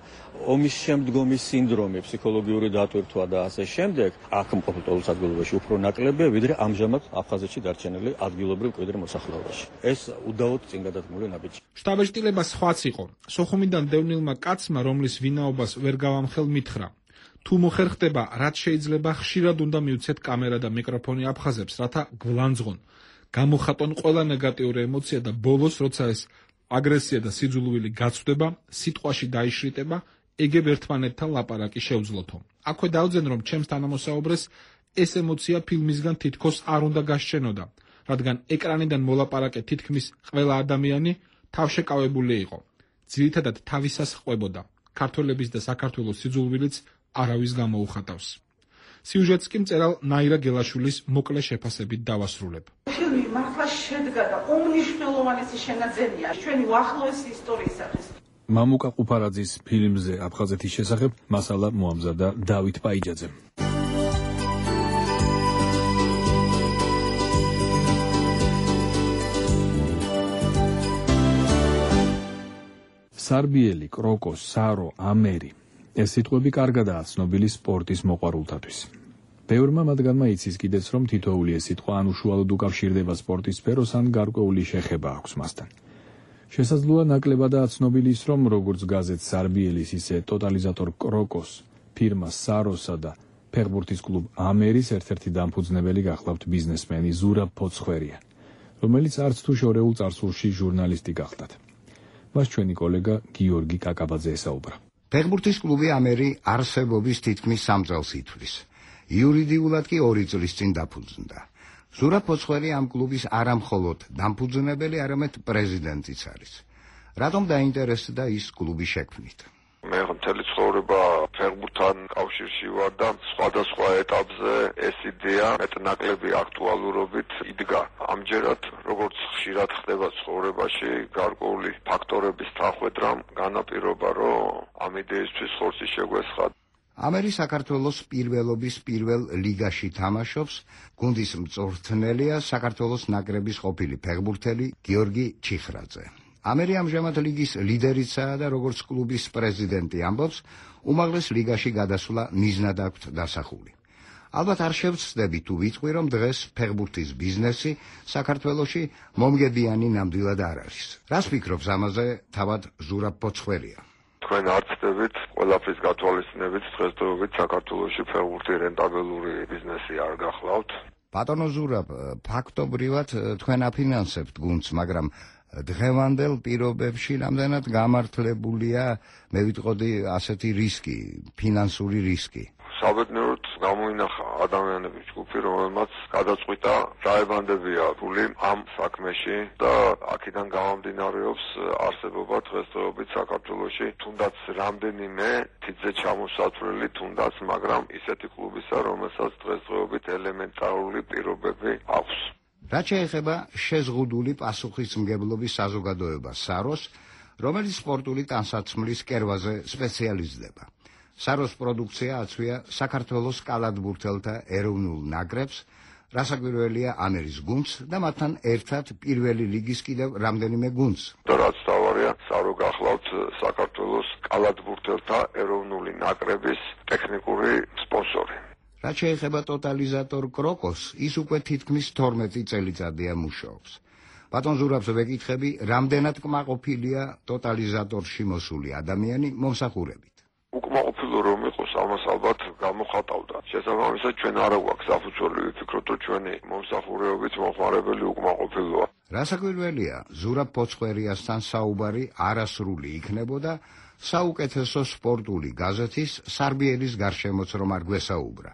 ომის შემდგომი სინდრომი, ფსიქოლოგიური დატვირთვა და ასე შემდეგ, აქ მყოფ ლტოლვილ საზოგადოებაში უფრო ნაკლებია, ვიდრე ამჟამად აფხაზეთში დარჩენილი ადგილობრივ მკვიდრ მოსახლეობაში. ეს უდაოდ წინ გადადგმული ნაბიჯი. შტაბ-ჭრილება სხვაც იყო. სოხუმიდან დევნილმა კაცმა, რომლის ვინაობას ვერ გავამხელ, მითხრა: თუ მოხერხდება, რაც შეიძლება ხშირად უნდა მივცეთ კამერა და მიკროფონი აფხაზებს, რათა გვლანძღონ, გამოხატონ ყველა ნეგატიური ემოცია და ბოლოს, როცა ეს აგრესია და სიძულვილი გაცვდება, სიტყვაში დაიშრიტება, ეგებ ერთმანეთთან ლაპარაკი შეუძლოთო. აქვე დავძენ, რომ ჩემს თანამოსაუბრეს ეს ემოცია ფილმისგან თითქოს არ უნდა გასჩენოდა, რადგან ეკრანიდან მოლაპარაკე თითქმის ყველა ადამიანი თავშეკავებული იყო. ძირითადად თავისას ყვებოდა. ქართველების და საქართველოს სიძულვილიც არავის გამოუხატავს. სიუჟეტს კი მწერალ ნაირა გელაშვილის მოკლე შეფასებით დავასრულებ. ფილმი მართლა შედგა და უმნიშვნელოვანესი შენაძენია ჩვენი უახლოესი ისტორიისათვის. მამუკა ყუფარაძის ფილმზე აფხაზეთის შესახებ მასალა მოამზადა დავით პაიჯაძემ. სარბიელი, კროკო, სარო, ამერი ეს სიტყვები კარგადაა ცნობილი სპორტის მოყვარულთათვის. ბევრმა მათგანმა იცის კიდეც, რომ თითოეული ეს სიტყვა ან უშუალოდ უკავშირდება სპორტის სფეროს, ან გარკვეული შეხება აქვს მასთან. შესაძლოა ნაკლებადაა ცნობილი ის, რომ როგორც გაზეთ სარბიელის, ისე ტოტალიზატორ კროკოს, ფირმა საროსა და ფეხბურთის კლუბ ამერის ერთ-ერთი დამფუძნებელი გახლავთ ბიზნესმენი ზურაბ ფოცხვერია, რომელიც არც თუ შორეულ წარსულში ჟურნალისტი გახდათ. მას ჩვენი კოლეგა გიორგი კაკაბაძე ესაუბრა. ფეხბურთის კლუბი ამერი არსებობის თითქმის 3 წელს ითვლის. იურიდიულად კი 2 წლის წინ დაფუძნდა. ზურაბ ფოცხვერი ამ კლუბის არა მხოლოდ დამფუძნებელი, არამედ პრეზიდენტიც არის. რატომ დაინტერესდა ის კლუბის შექმნით? მე მთელი ცხოვრება ფეხბურთთან კავშირში ვარ და სხვადასხვა ეტაპზე ეს იდეა მეტნაკლები აქტუალურობით იდგა. ამჯერად, როგორც ხშირად ხდება ცხოვრებაში, გარკვეული ფაქტორების თანხმედრამ განაპირობა, რომ ამ იდეისთვის ხორცი შეგვესხა. ამერი საქართველოს პირველობის პირველ ლიგაში თამაშობს, გუნდის მწვრთნელია საქართველოს ნაკრების ყოფილი ფეხბურთელი გიორგი ჩიხრაძე. ამერი ამჟამად ლიგის ლიდერიცაა და როგორც კლუბის პრეზიდენტი ამბობს, უმაღლეს ლიგაში გადასვლა მიზნად აქვთ დასახული. ალბათ არ შევცდები თუ ვიტყვი, რომ დღეს ფეხბურთის ბიზნესი საქართველოში მომგებიანი ნამდვილად არ არის. რას ფიქრობს ამაზე თავად ზურაბ ფოცხვერია? თქვენ არ ცდებით ყველაფრის გათვალისწინებით დღესდღეობით საქართველოში ფეხბურთი რენტაბელური ბიზნესი არ გახლავთ? ბატონო ზურაბ, ფაქტობრივად თქვენ აფინანსებთ გუნდს, მაგრამ დღევანდელ პირობებში რამდენად გამართლებულია, მე ვიტყოდი, ასეთი რისკი, ფინანსური რისკი? საბედნიეროდ გამოინახა ადამიანების ჯგუფი, რომელმაც გადაწყვიტა დაებანდებია ფული ამ საქმეში და აქედან გამომდინარეობს არსებობა დღესდღეობით საქართველოში თუნდაც რამდენიმე თითზე ჩამოსათვლელი თუნდაც, მაგრამ ისეთი კლუბისა, რომელსაც დღესდღეობით ელემენტარული პირობები აქვს. რაც შეეხება შეზღუდული პასუხისმგებლობის საზოგადოებას საროს, რომელიც სპორტული ტანსაცმლის კერვაზე სპეციალიზდება. საროს პროდუქცია აწვია საქართველოს კალათბურთელთა ეროვნულ ნაკრებს, რასაკვირველია ამერის გუნდს და მათთან ერთად პირველი ლიგის კიდევ რამდენიმე გუნდს. და რაც თავარია, სარო გახლავთ საქართველოს კალათბურთელთა ეროვნული ნაკრების ტექნიკური სპონსორი. რაც შეეხება ტოტალიზატორ კროკოს, ის უკვე თითქმის 12 წელიწადია მუშაობს. ბატონ ზურაბს ვეკითხები, რამდენად კმაყოფილია ტოტალიზატორში მოსული ადამიანი მომსახურებით. უკმაყოფილო რომ იყოს, ამას ალბათ გამოხატავდა. შესაბამისად ჩვენ არა გვაქვს საფუძველი ვიფიქროთ, რომ ჩვენი მომსახურეობით მოხმარებელი უკმაყოფილოა. რასაკვირველია, ზურაბ ფოცხერიასთან საუბარი არასრული იქნებოდა საუკეთესო სპორტული გაზეთის სარბიელის გარშემოც რომ არ გვესაუბრა.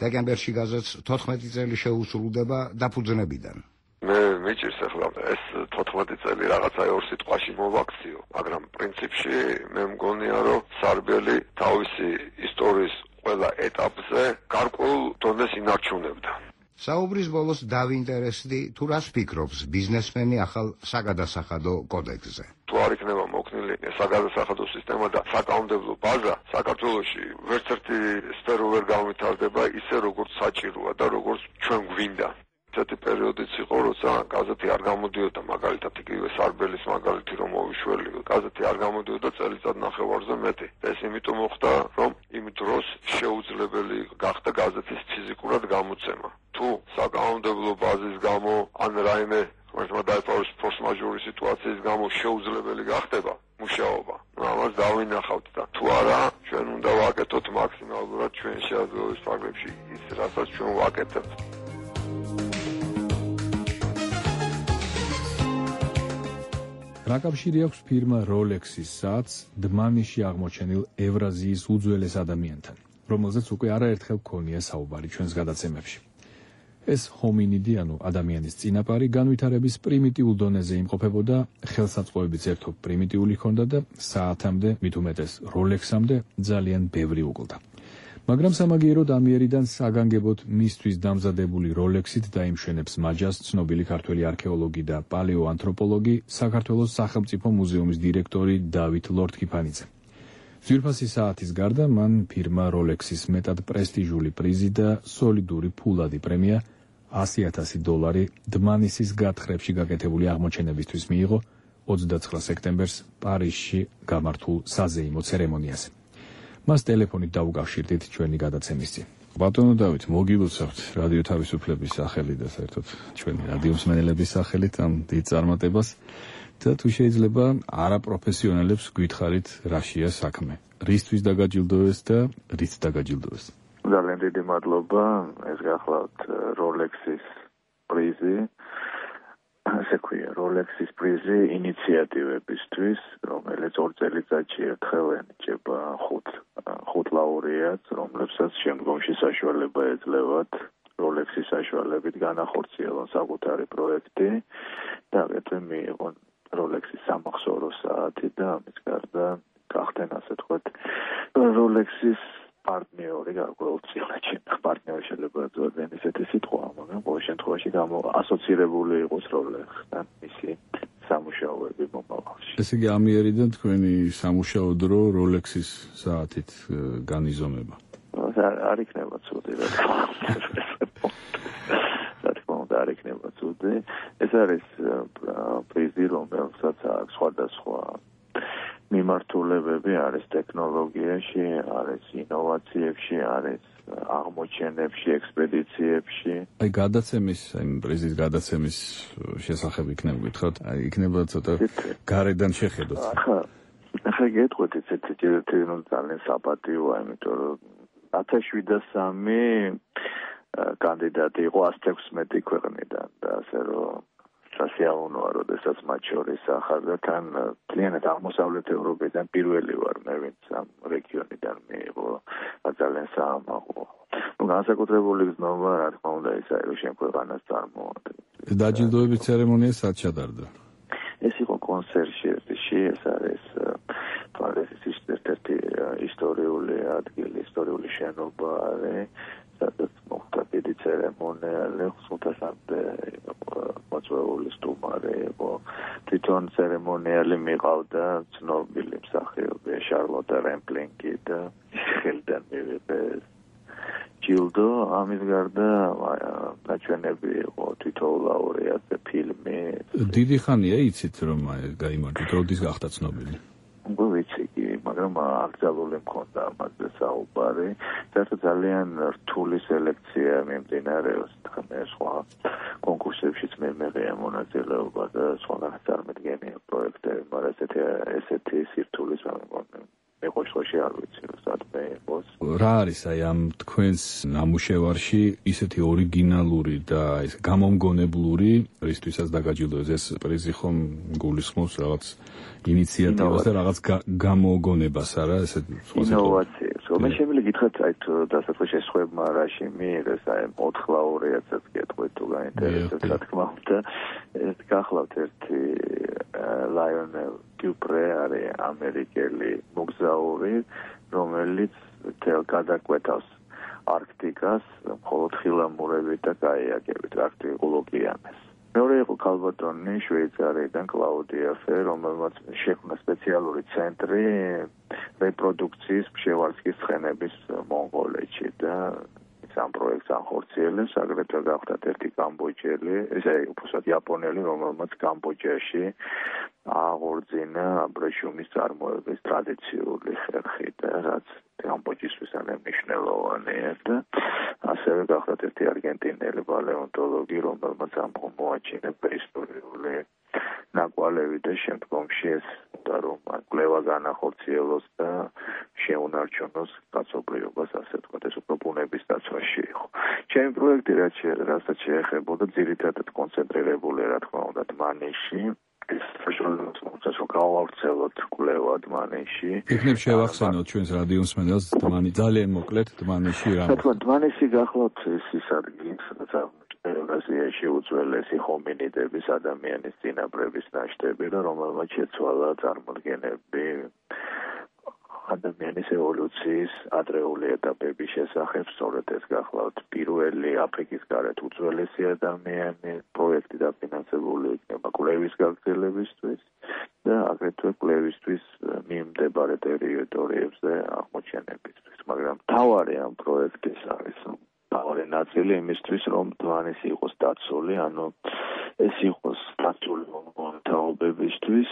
დეკემბერში გაზეთს 14 წელი შეუსრულდება დაფუძნებიდან. მე მიჭირს ახლა ეს 14 წელი რაღაცა ორ სიტყვაში მოვაქციო, მაგრამ პრინციპში მე მგონია რომ სარბიელი თავისი ისტორიის ყველა ეტაპზე გარკვეულ დონეს ინარჩუნებდა. საუბრის ბოლოს დავინტერესდი თუ რას ფიქრობს ბიზნესმენი ახალ საგადასახადო კოდექსზე. თუ არ იქნება მოქნილი საგადასახადო სისტემა და საკანონმდებლო ბაზა, საქართველოში ვერც ერთი სფერო ვერ განვითარდება ისე როგორც საჭიროა და როგორც ჩვენ გვინდა. ესეთი პერიოდიც იყო, როცა გაზეთი არ გამოდიოდა, მაგალითად იგივე სარბელის მაგალითი რომ მოვიშველი, გაზეთი არ გამოდიოდა წელიწად ნახევარზე მეტი. ეს იმიტომ მოხდა, რომ იმ დროს შეუძლებელი გახდა გაზეთის ფიზიკურად გამოცემა. თუ საკანონმდებლო ბაზის გამო ან რაიმე დაეფაროს ფორს-მაჟორის სიტუაციის გამო შეუძლებელი გახდება მუშაობა, ამას დავინახავთ და თუ არა, ჩვენ უნდა ვაკეთოთ მაქსიმალურად ჩვენ შეაძლოების ფარგლებში ის, რასაც ჩვენ ვაკეთებთ. რა კავშირი აქვს ფირმა Rolex-ის საათს დმანიში აღმოჩენილ ევრაზიის უძველეს ადამიანთან, რომელზეც უკვე არაერთხელ გქონია საუბარი ჩვენს გადაცემებში. ეს ჰომინიდი, ანუ ადამიანის წინაპარი, განვითარების პრიმიტიულ დონეზე იმყოფებოდა, ხელსაწყოებიც ერთობ პრიმიტიული ჰქონდა და საათამდე, მით უმეტეს Rolex-ამდე ძალიან ბევრი უკლდა. მაგრამ სამაგიეროდ ამიერიდან საგანგებოდ მისთვის დამზადებული Rolex-ით დაიმშვენებს მაჯას ცნობილი ქართველი არქეოლოგი და პალეოანთროპოლოგი, საქართველოს სახელმწიფო მუზეუმის დირექტორი დავით ლორთქიფანიძე. ძვირფასი საათის გარდა მან ფირმა Rolex-ის მეტად პრესტიჟული პრიზი და სოლიდური ფულადი პრემია $100,000 დმანისის გათხრებში გაკეთებული აღმოჩენებისთვის მიიღო 29 სექტემბერს პარიზში გამართულ საზეიმო ცერემონიაზე. მას ტელეფონით დაუკავშირდით ჩვენი გადაცემის წინ. ბატონო დავით, მოგილოცავთ რადიო თავისუფლების სახელით და საერთოდ ჩვენი რადიო მსმენელების სახელით ამ დიდ წარმატებას და თუ შეიძლება არაპროფესიონალებს გითხარით რაშია საქმე. რისთვის დაგაჯილდოეს და რით დაგაჯილდოეს? ძალიან დიდი მადლობა, ეს გახლავთ Rolex-ის პრიზი. ასე ქვია, Rolex-ის პრიზი ინიციატივებისთვის, რომელიც 2 წელიწადში ერთხელ ენიჭება 5 ლაურეატს, რომლებსაც შემდგომში საშუალება ეძლევათ Rolex-ის საშუალებით განახორციელონ საკუთარი პროექტი და აგრეთვე მიიღონ Rolex-ის სამახსოვრო საათი და ამის გარდა გახდნენ, ასე თქვათ, Rolex-ის პარტნიორი გარკვეულწილად პარტნიორი შეიძლება ძალიან ისეთი სიტყვაა, მაგრამ ყოველ შემთხვევაში ასოცირებული იყოს Rolex-თან მისი სამუშაოები მომავალში. ესე იგი ამიერიდან თქვენი სამუშაო დრო Rolex-ის საათით განიზომება. არ იქნება ცუდი რა თქმა უნდა, არ იქნება ცუდი. ეს არის პრიზი, რომელსაც აქვს სხვადასხვა მიმართულებები, არის ტექნოლოგიაში, არის ინოვაციებში, არის აღმოჩენებში, ექსპედიციებში. აი გადაცემის, პრიზის გადაცემის შესახებ იქნება გითხრათ, აი იქნება ცოტა გარედან შეხედოთ. ახლა გეტყვით ესეთი ძალიან საპატიოა, იმიტომ რომ 1703 კანდიდატი იყო 116 ქვეყნიდან და ასე რომ სასიამოვნოა, როდესაც მათ შორის ახალგა თან მთლიანად აღმოსავლეთ ევროპიდან პირველი ვარ მე, ვინც ამ რეგიონიდან მიიღო ძალიან საამაყო. განსაკუთრებული გზნობა, რა თქმა უნდა, ისაა, რომ შენ ქვეყანას წარმოადგენს. დაჯილდოების ცერემონია სად ჩატარდა? ეს იყო კონსერჟერში, ეს არის პარიზის ერთ-ერთი ისტორიული ადგილი, ისტორიული შენობა არის, სადაც მოხდა დიდი ცერემონიალი, ხუთასამდე მოწვეული სტუმარი იყო. თვითონ ცერემონიალი მიყავდა ცნობილი მსახიობი შარლოტა რემპლინგი და ხელიდან მივიღე ჯილდო. ამის გარდა ნაჩვენები იყო თითოეულ ლაურეატზე ფილმი. დიდი ხანია იცით რომ გაიმარჯვეთ, როდის გახდა ცნობილი? ვიცი, მაგრამ აკრძალული მქონდა ამაზე საუბარი. საერთოდ ძალიან რთული სელექცია მიმდინარეობს, სხვა კონკურსებშიც მეღია მონაწილეობა და სხვაგან წარმოდგენია პროექტები, მაგრამ ესეთი სირთულის მიყოს ხოში არ ვიცი რომ სადმე იყოს. რა არის აი ამ თქვენს ნამუშევარში ისეთი ორიგინალური და ეს გამომგონებლური, რისთვისაც დაგაჯილდოეს ეს პრიზი ხომ გულისხმობს რაღაც ინიციატივას და რაღაც გამოგონებას არა ესე ინოვაციებს. მე შემიძლია გითხრათ აი დასაწყისში შესხვებმა რაში მიიღეს აი 4 ლაურეატსაც გეტყვით თუ გაინტერესებს რა თქმა უნდა ეს გახლავთ ერთი ლაიონელ დიუპრე არის ამერიკელი მოგზაური რომელიც თელ გადაკვეთავს არქტიკას მხოლოდ ხილამურებით და გაიაგებით არქტიკულ ოკეანეს. მეორე იყო ქალბატონი შვეიცარიიდან კლაუდია ფე, რომელმაც შექმნა სპეციალური ცენტრი რეპროდუქციის ფშევარსკის ცხენების მონღოლეთში და ამ პროექტს ახორციელებს, აგრეთვე გახდათ ერთი კამბოჯელი, ესე უბრალოდ იაპონელი, რომელმაც კამბოჯაში აღორძინა აბრეშუმის წარმოების ტრადიციული ხერხი და რაც კამბოჯისთვის არის მნიშვნელოვანია და ასევე გახდათ ერთი არგენტინელი პალეონტოლოგი, რომელმაც მოაჩინა პრეისტორიული ნაკვალევი და შემდგომში ეს უნდა რომ კვლევა განახორციელოს და შეუნარჩუნოს კაცობრიობას, ასე ვთქვათ, ეს უფრო ბუნების დაცვაში იყო. ჩემი პროექტი რასაც შეეხებოდა ძირითადად კონცენტრირებული რა თქმა უნდა დმანისში. ეს საშუალო გავავრცელოთ კვლევა დმანისში. იქნებ შევახსენოთ ჩვენს რადიო მსმენელს დმანი ძალიან მოკლედ დმანისში რა. რა თქმა უნდა დმანისი გახლავთ ის ადგილი, სადაც ევრაზიაში უძველესი ჰომინიდების ადამიანის წინაპრების ნაშთები და რომელმაც შეცვალა წარმოდგენები ადამიანის ევოლუციის ადრეული ეტაპების შესახებ. სწორედ ეს გახლავთ პირველი აფრიკის გარეთ უძველესი ადამიანი. პროექტი დაფინანსებული იქნება კვლევის გაგრძელებისთვის და აგრეთვე კვლევისთვის მიმდებარე ტერიტორიებზე აღმოჩენებისთვის. მაგრამ მთავარი ამ პროექტის არის მთავარი ნაწილი იმისთვის, რომ დმანისი იყოს დაცული, ანუ ეს იყოს დაცული თაობებისთვის,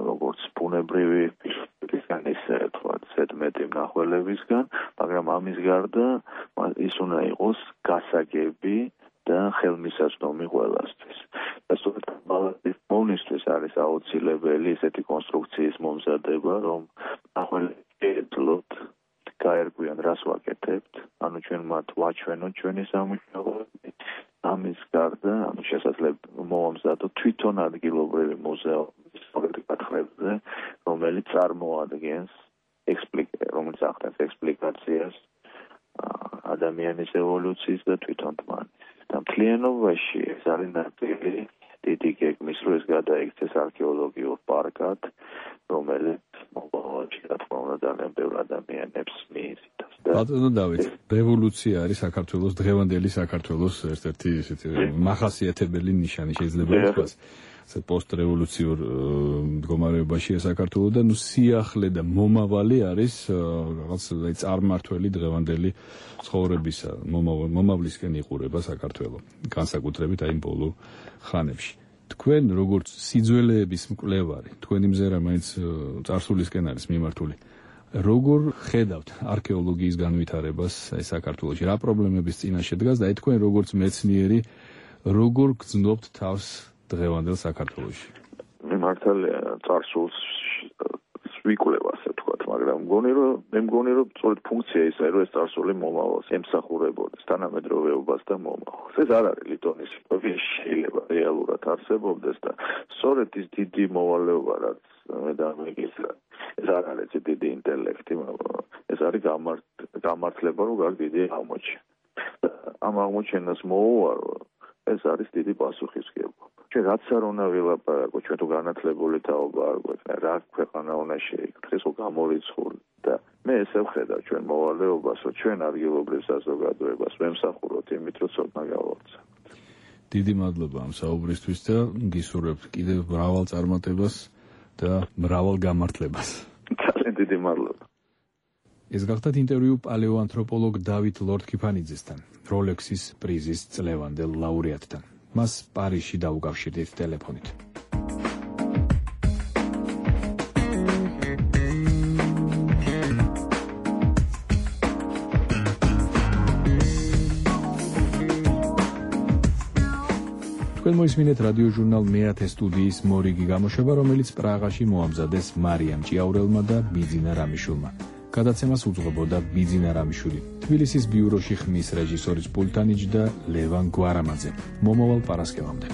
როგორც ბუნებრივი პირისგან ისე თქვათ ზედმეტი მნახველებისგან, მაგრამ ამის გარდა ის უნდა იყოს გასაგები და ხელმისაწვდომი ყველასთვის. და სწორედ ბალანსის მომნისთვის არის აუცილებელი ესეთი კონსტრუქციის მომზადება, რომ მნახველები ეძლოთ გაერკვიან რას ვაკეთებთ, ანუ ჩვენ მათ ვაჩვენოთ ჩვენი სამუშაოები. ამის გარდა, ანუ შესაძლოა მოვამზადოთ თვითონ ადგილობრივი მუზეუმის კათხრებზე, რომელიც წარმოადგენს რომელიც ახდენს ექსპლიკაციას ადამიანის ევოლუციის და თვითონ დმანის. და მთლიანობაში ეს არის ნაწილი დიდი გეგმის, რომ ეს გადაიქცეს არქეოლოგიურ პარკად, რომელიც მომავალში რა თქმა უნდა ძალიან ბევრ ადამიანებს მიიზიდავს. ბატონო დავით, რევოლუცია არის საქართველოს დღევანდელი საქართველოს ერთ-ერთი ისეთი მახასიათებელი ნიშანი შეიძლება ითქვას. პოსტრევოლუციურ მდგომარეობაშია საქართველო და ნუ სიახლე და მომავალი არის რაღაც წარმმართველი დღევანდელი ცხოვრებისა, მომავლისკენ იყურება საქართველო, განსაკუთრებით აი ბოლო ხანებში. თქვენ როგორც სიძველეების მკვლევარი, თქვენი მზერა მაინც წარსულისკენ არის მიმართული. როგორ ხედავთ არქეოლოგიის განვითარებას აი საქართველოში? რა პრობლემების წინაშე დგას და აი თქვენ როგორც მეცნიერი როგორ გრძნობთ თავს დღევანდელ საქართველოში? მე მართალია წარსულს ვიკვლევ ასე ვთქვათ, მაგრამ მგონი რომ სწორედ ფუნქცია ისაა, რომ ეს წარსული მომავალს ემსახურებოდეს თანამედროვეობას და მომავალს. ეს არ არის ლიტონის შეიძლება რეალურად არსებობდეს და სწორედ ის დიდი მოვალეობა, რაც მე დამეგისრა, ეს არ არის დიდი ინტელექტი, მაგრამ ეს არის გამართლება, რომ გარ დიდი აღმოჩენა. ამ აღმოჩენას მოუვარო, ეს არის დიდი პასუხისმგებლობა. ჩვენ რაც არ უნდა ვილაპარაკოთ, ჩვენ თუ განათლებული თაობა არ გვექნა, რა ქვეყანა უნდა შეიქმნას, ხო გამორიცხული და მე ესე ვხედავ ჩვენ მოვალეობას, რომ ჩვენ ადგილობრივ საზოგადოებას ვემსახუროთ იმით, რომ ცოდნა გავავრცელოთ. დიდი მადლობა ამ საუბრისთვის და გისურვებთ კიდევ მრავალ წარმატებას და მრავალ გამართლებას. ძალიან დიდი მადლობა. ეს გახდათ ინტერვიუ პალეოანთროპოლოგ დავით ლორდ-კიფანიძესთან, როლექსის პრიზის წლევანდელ ლაურეატთან. მას პარიზში დაუკავშირდით ტელეფონით. თქვენ მოისმინეთ რადიო ჟურნალ მე-10 სტუდიის მორიგი გამოშვება, რომელიც პრაღაში მოამზადეს მარიამ ჭიაურელმა და ბიძინა რამიშვილმა. გადაცემას უძღვებოდა ბიძინა რამიშვილი. თბილისის ბიუროში ხმის რეჟისორის პულტან იჯდა ლევან გვარამაძე. მომავალ პარასკევამდე.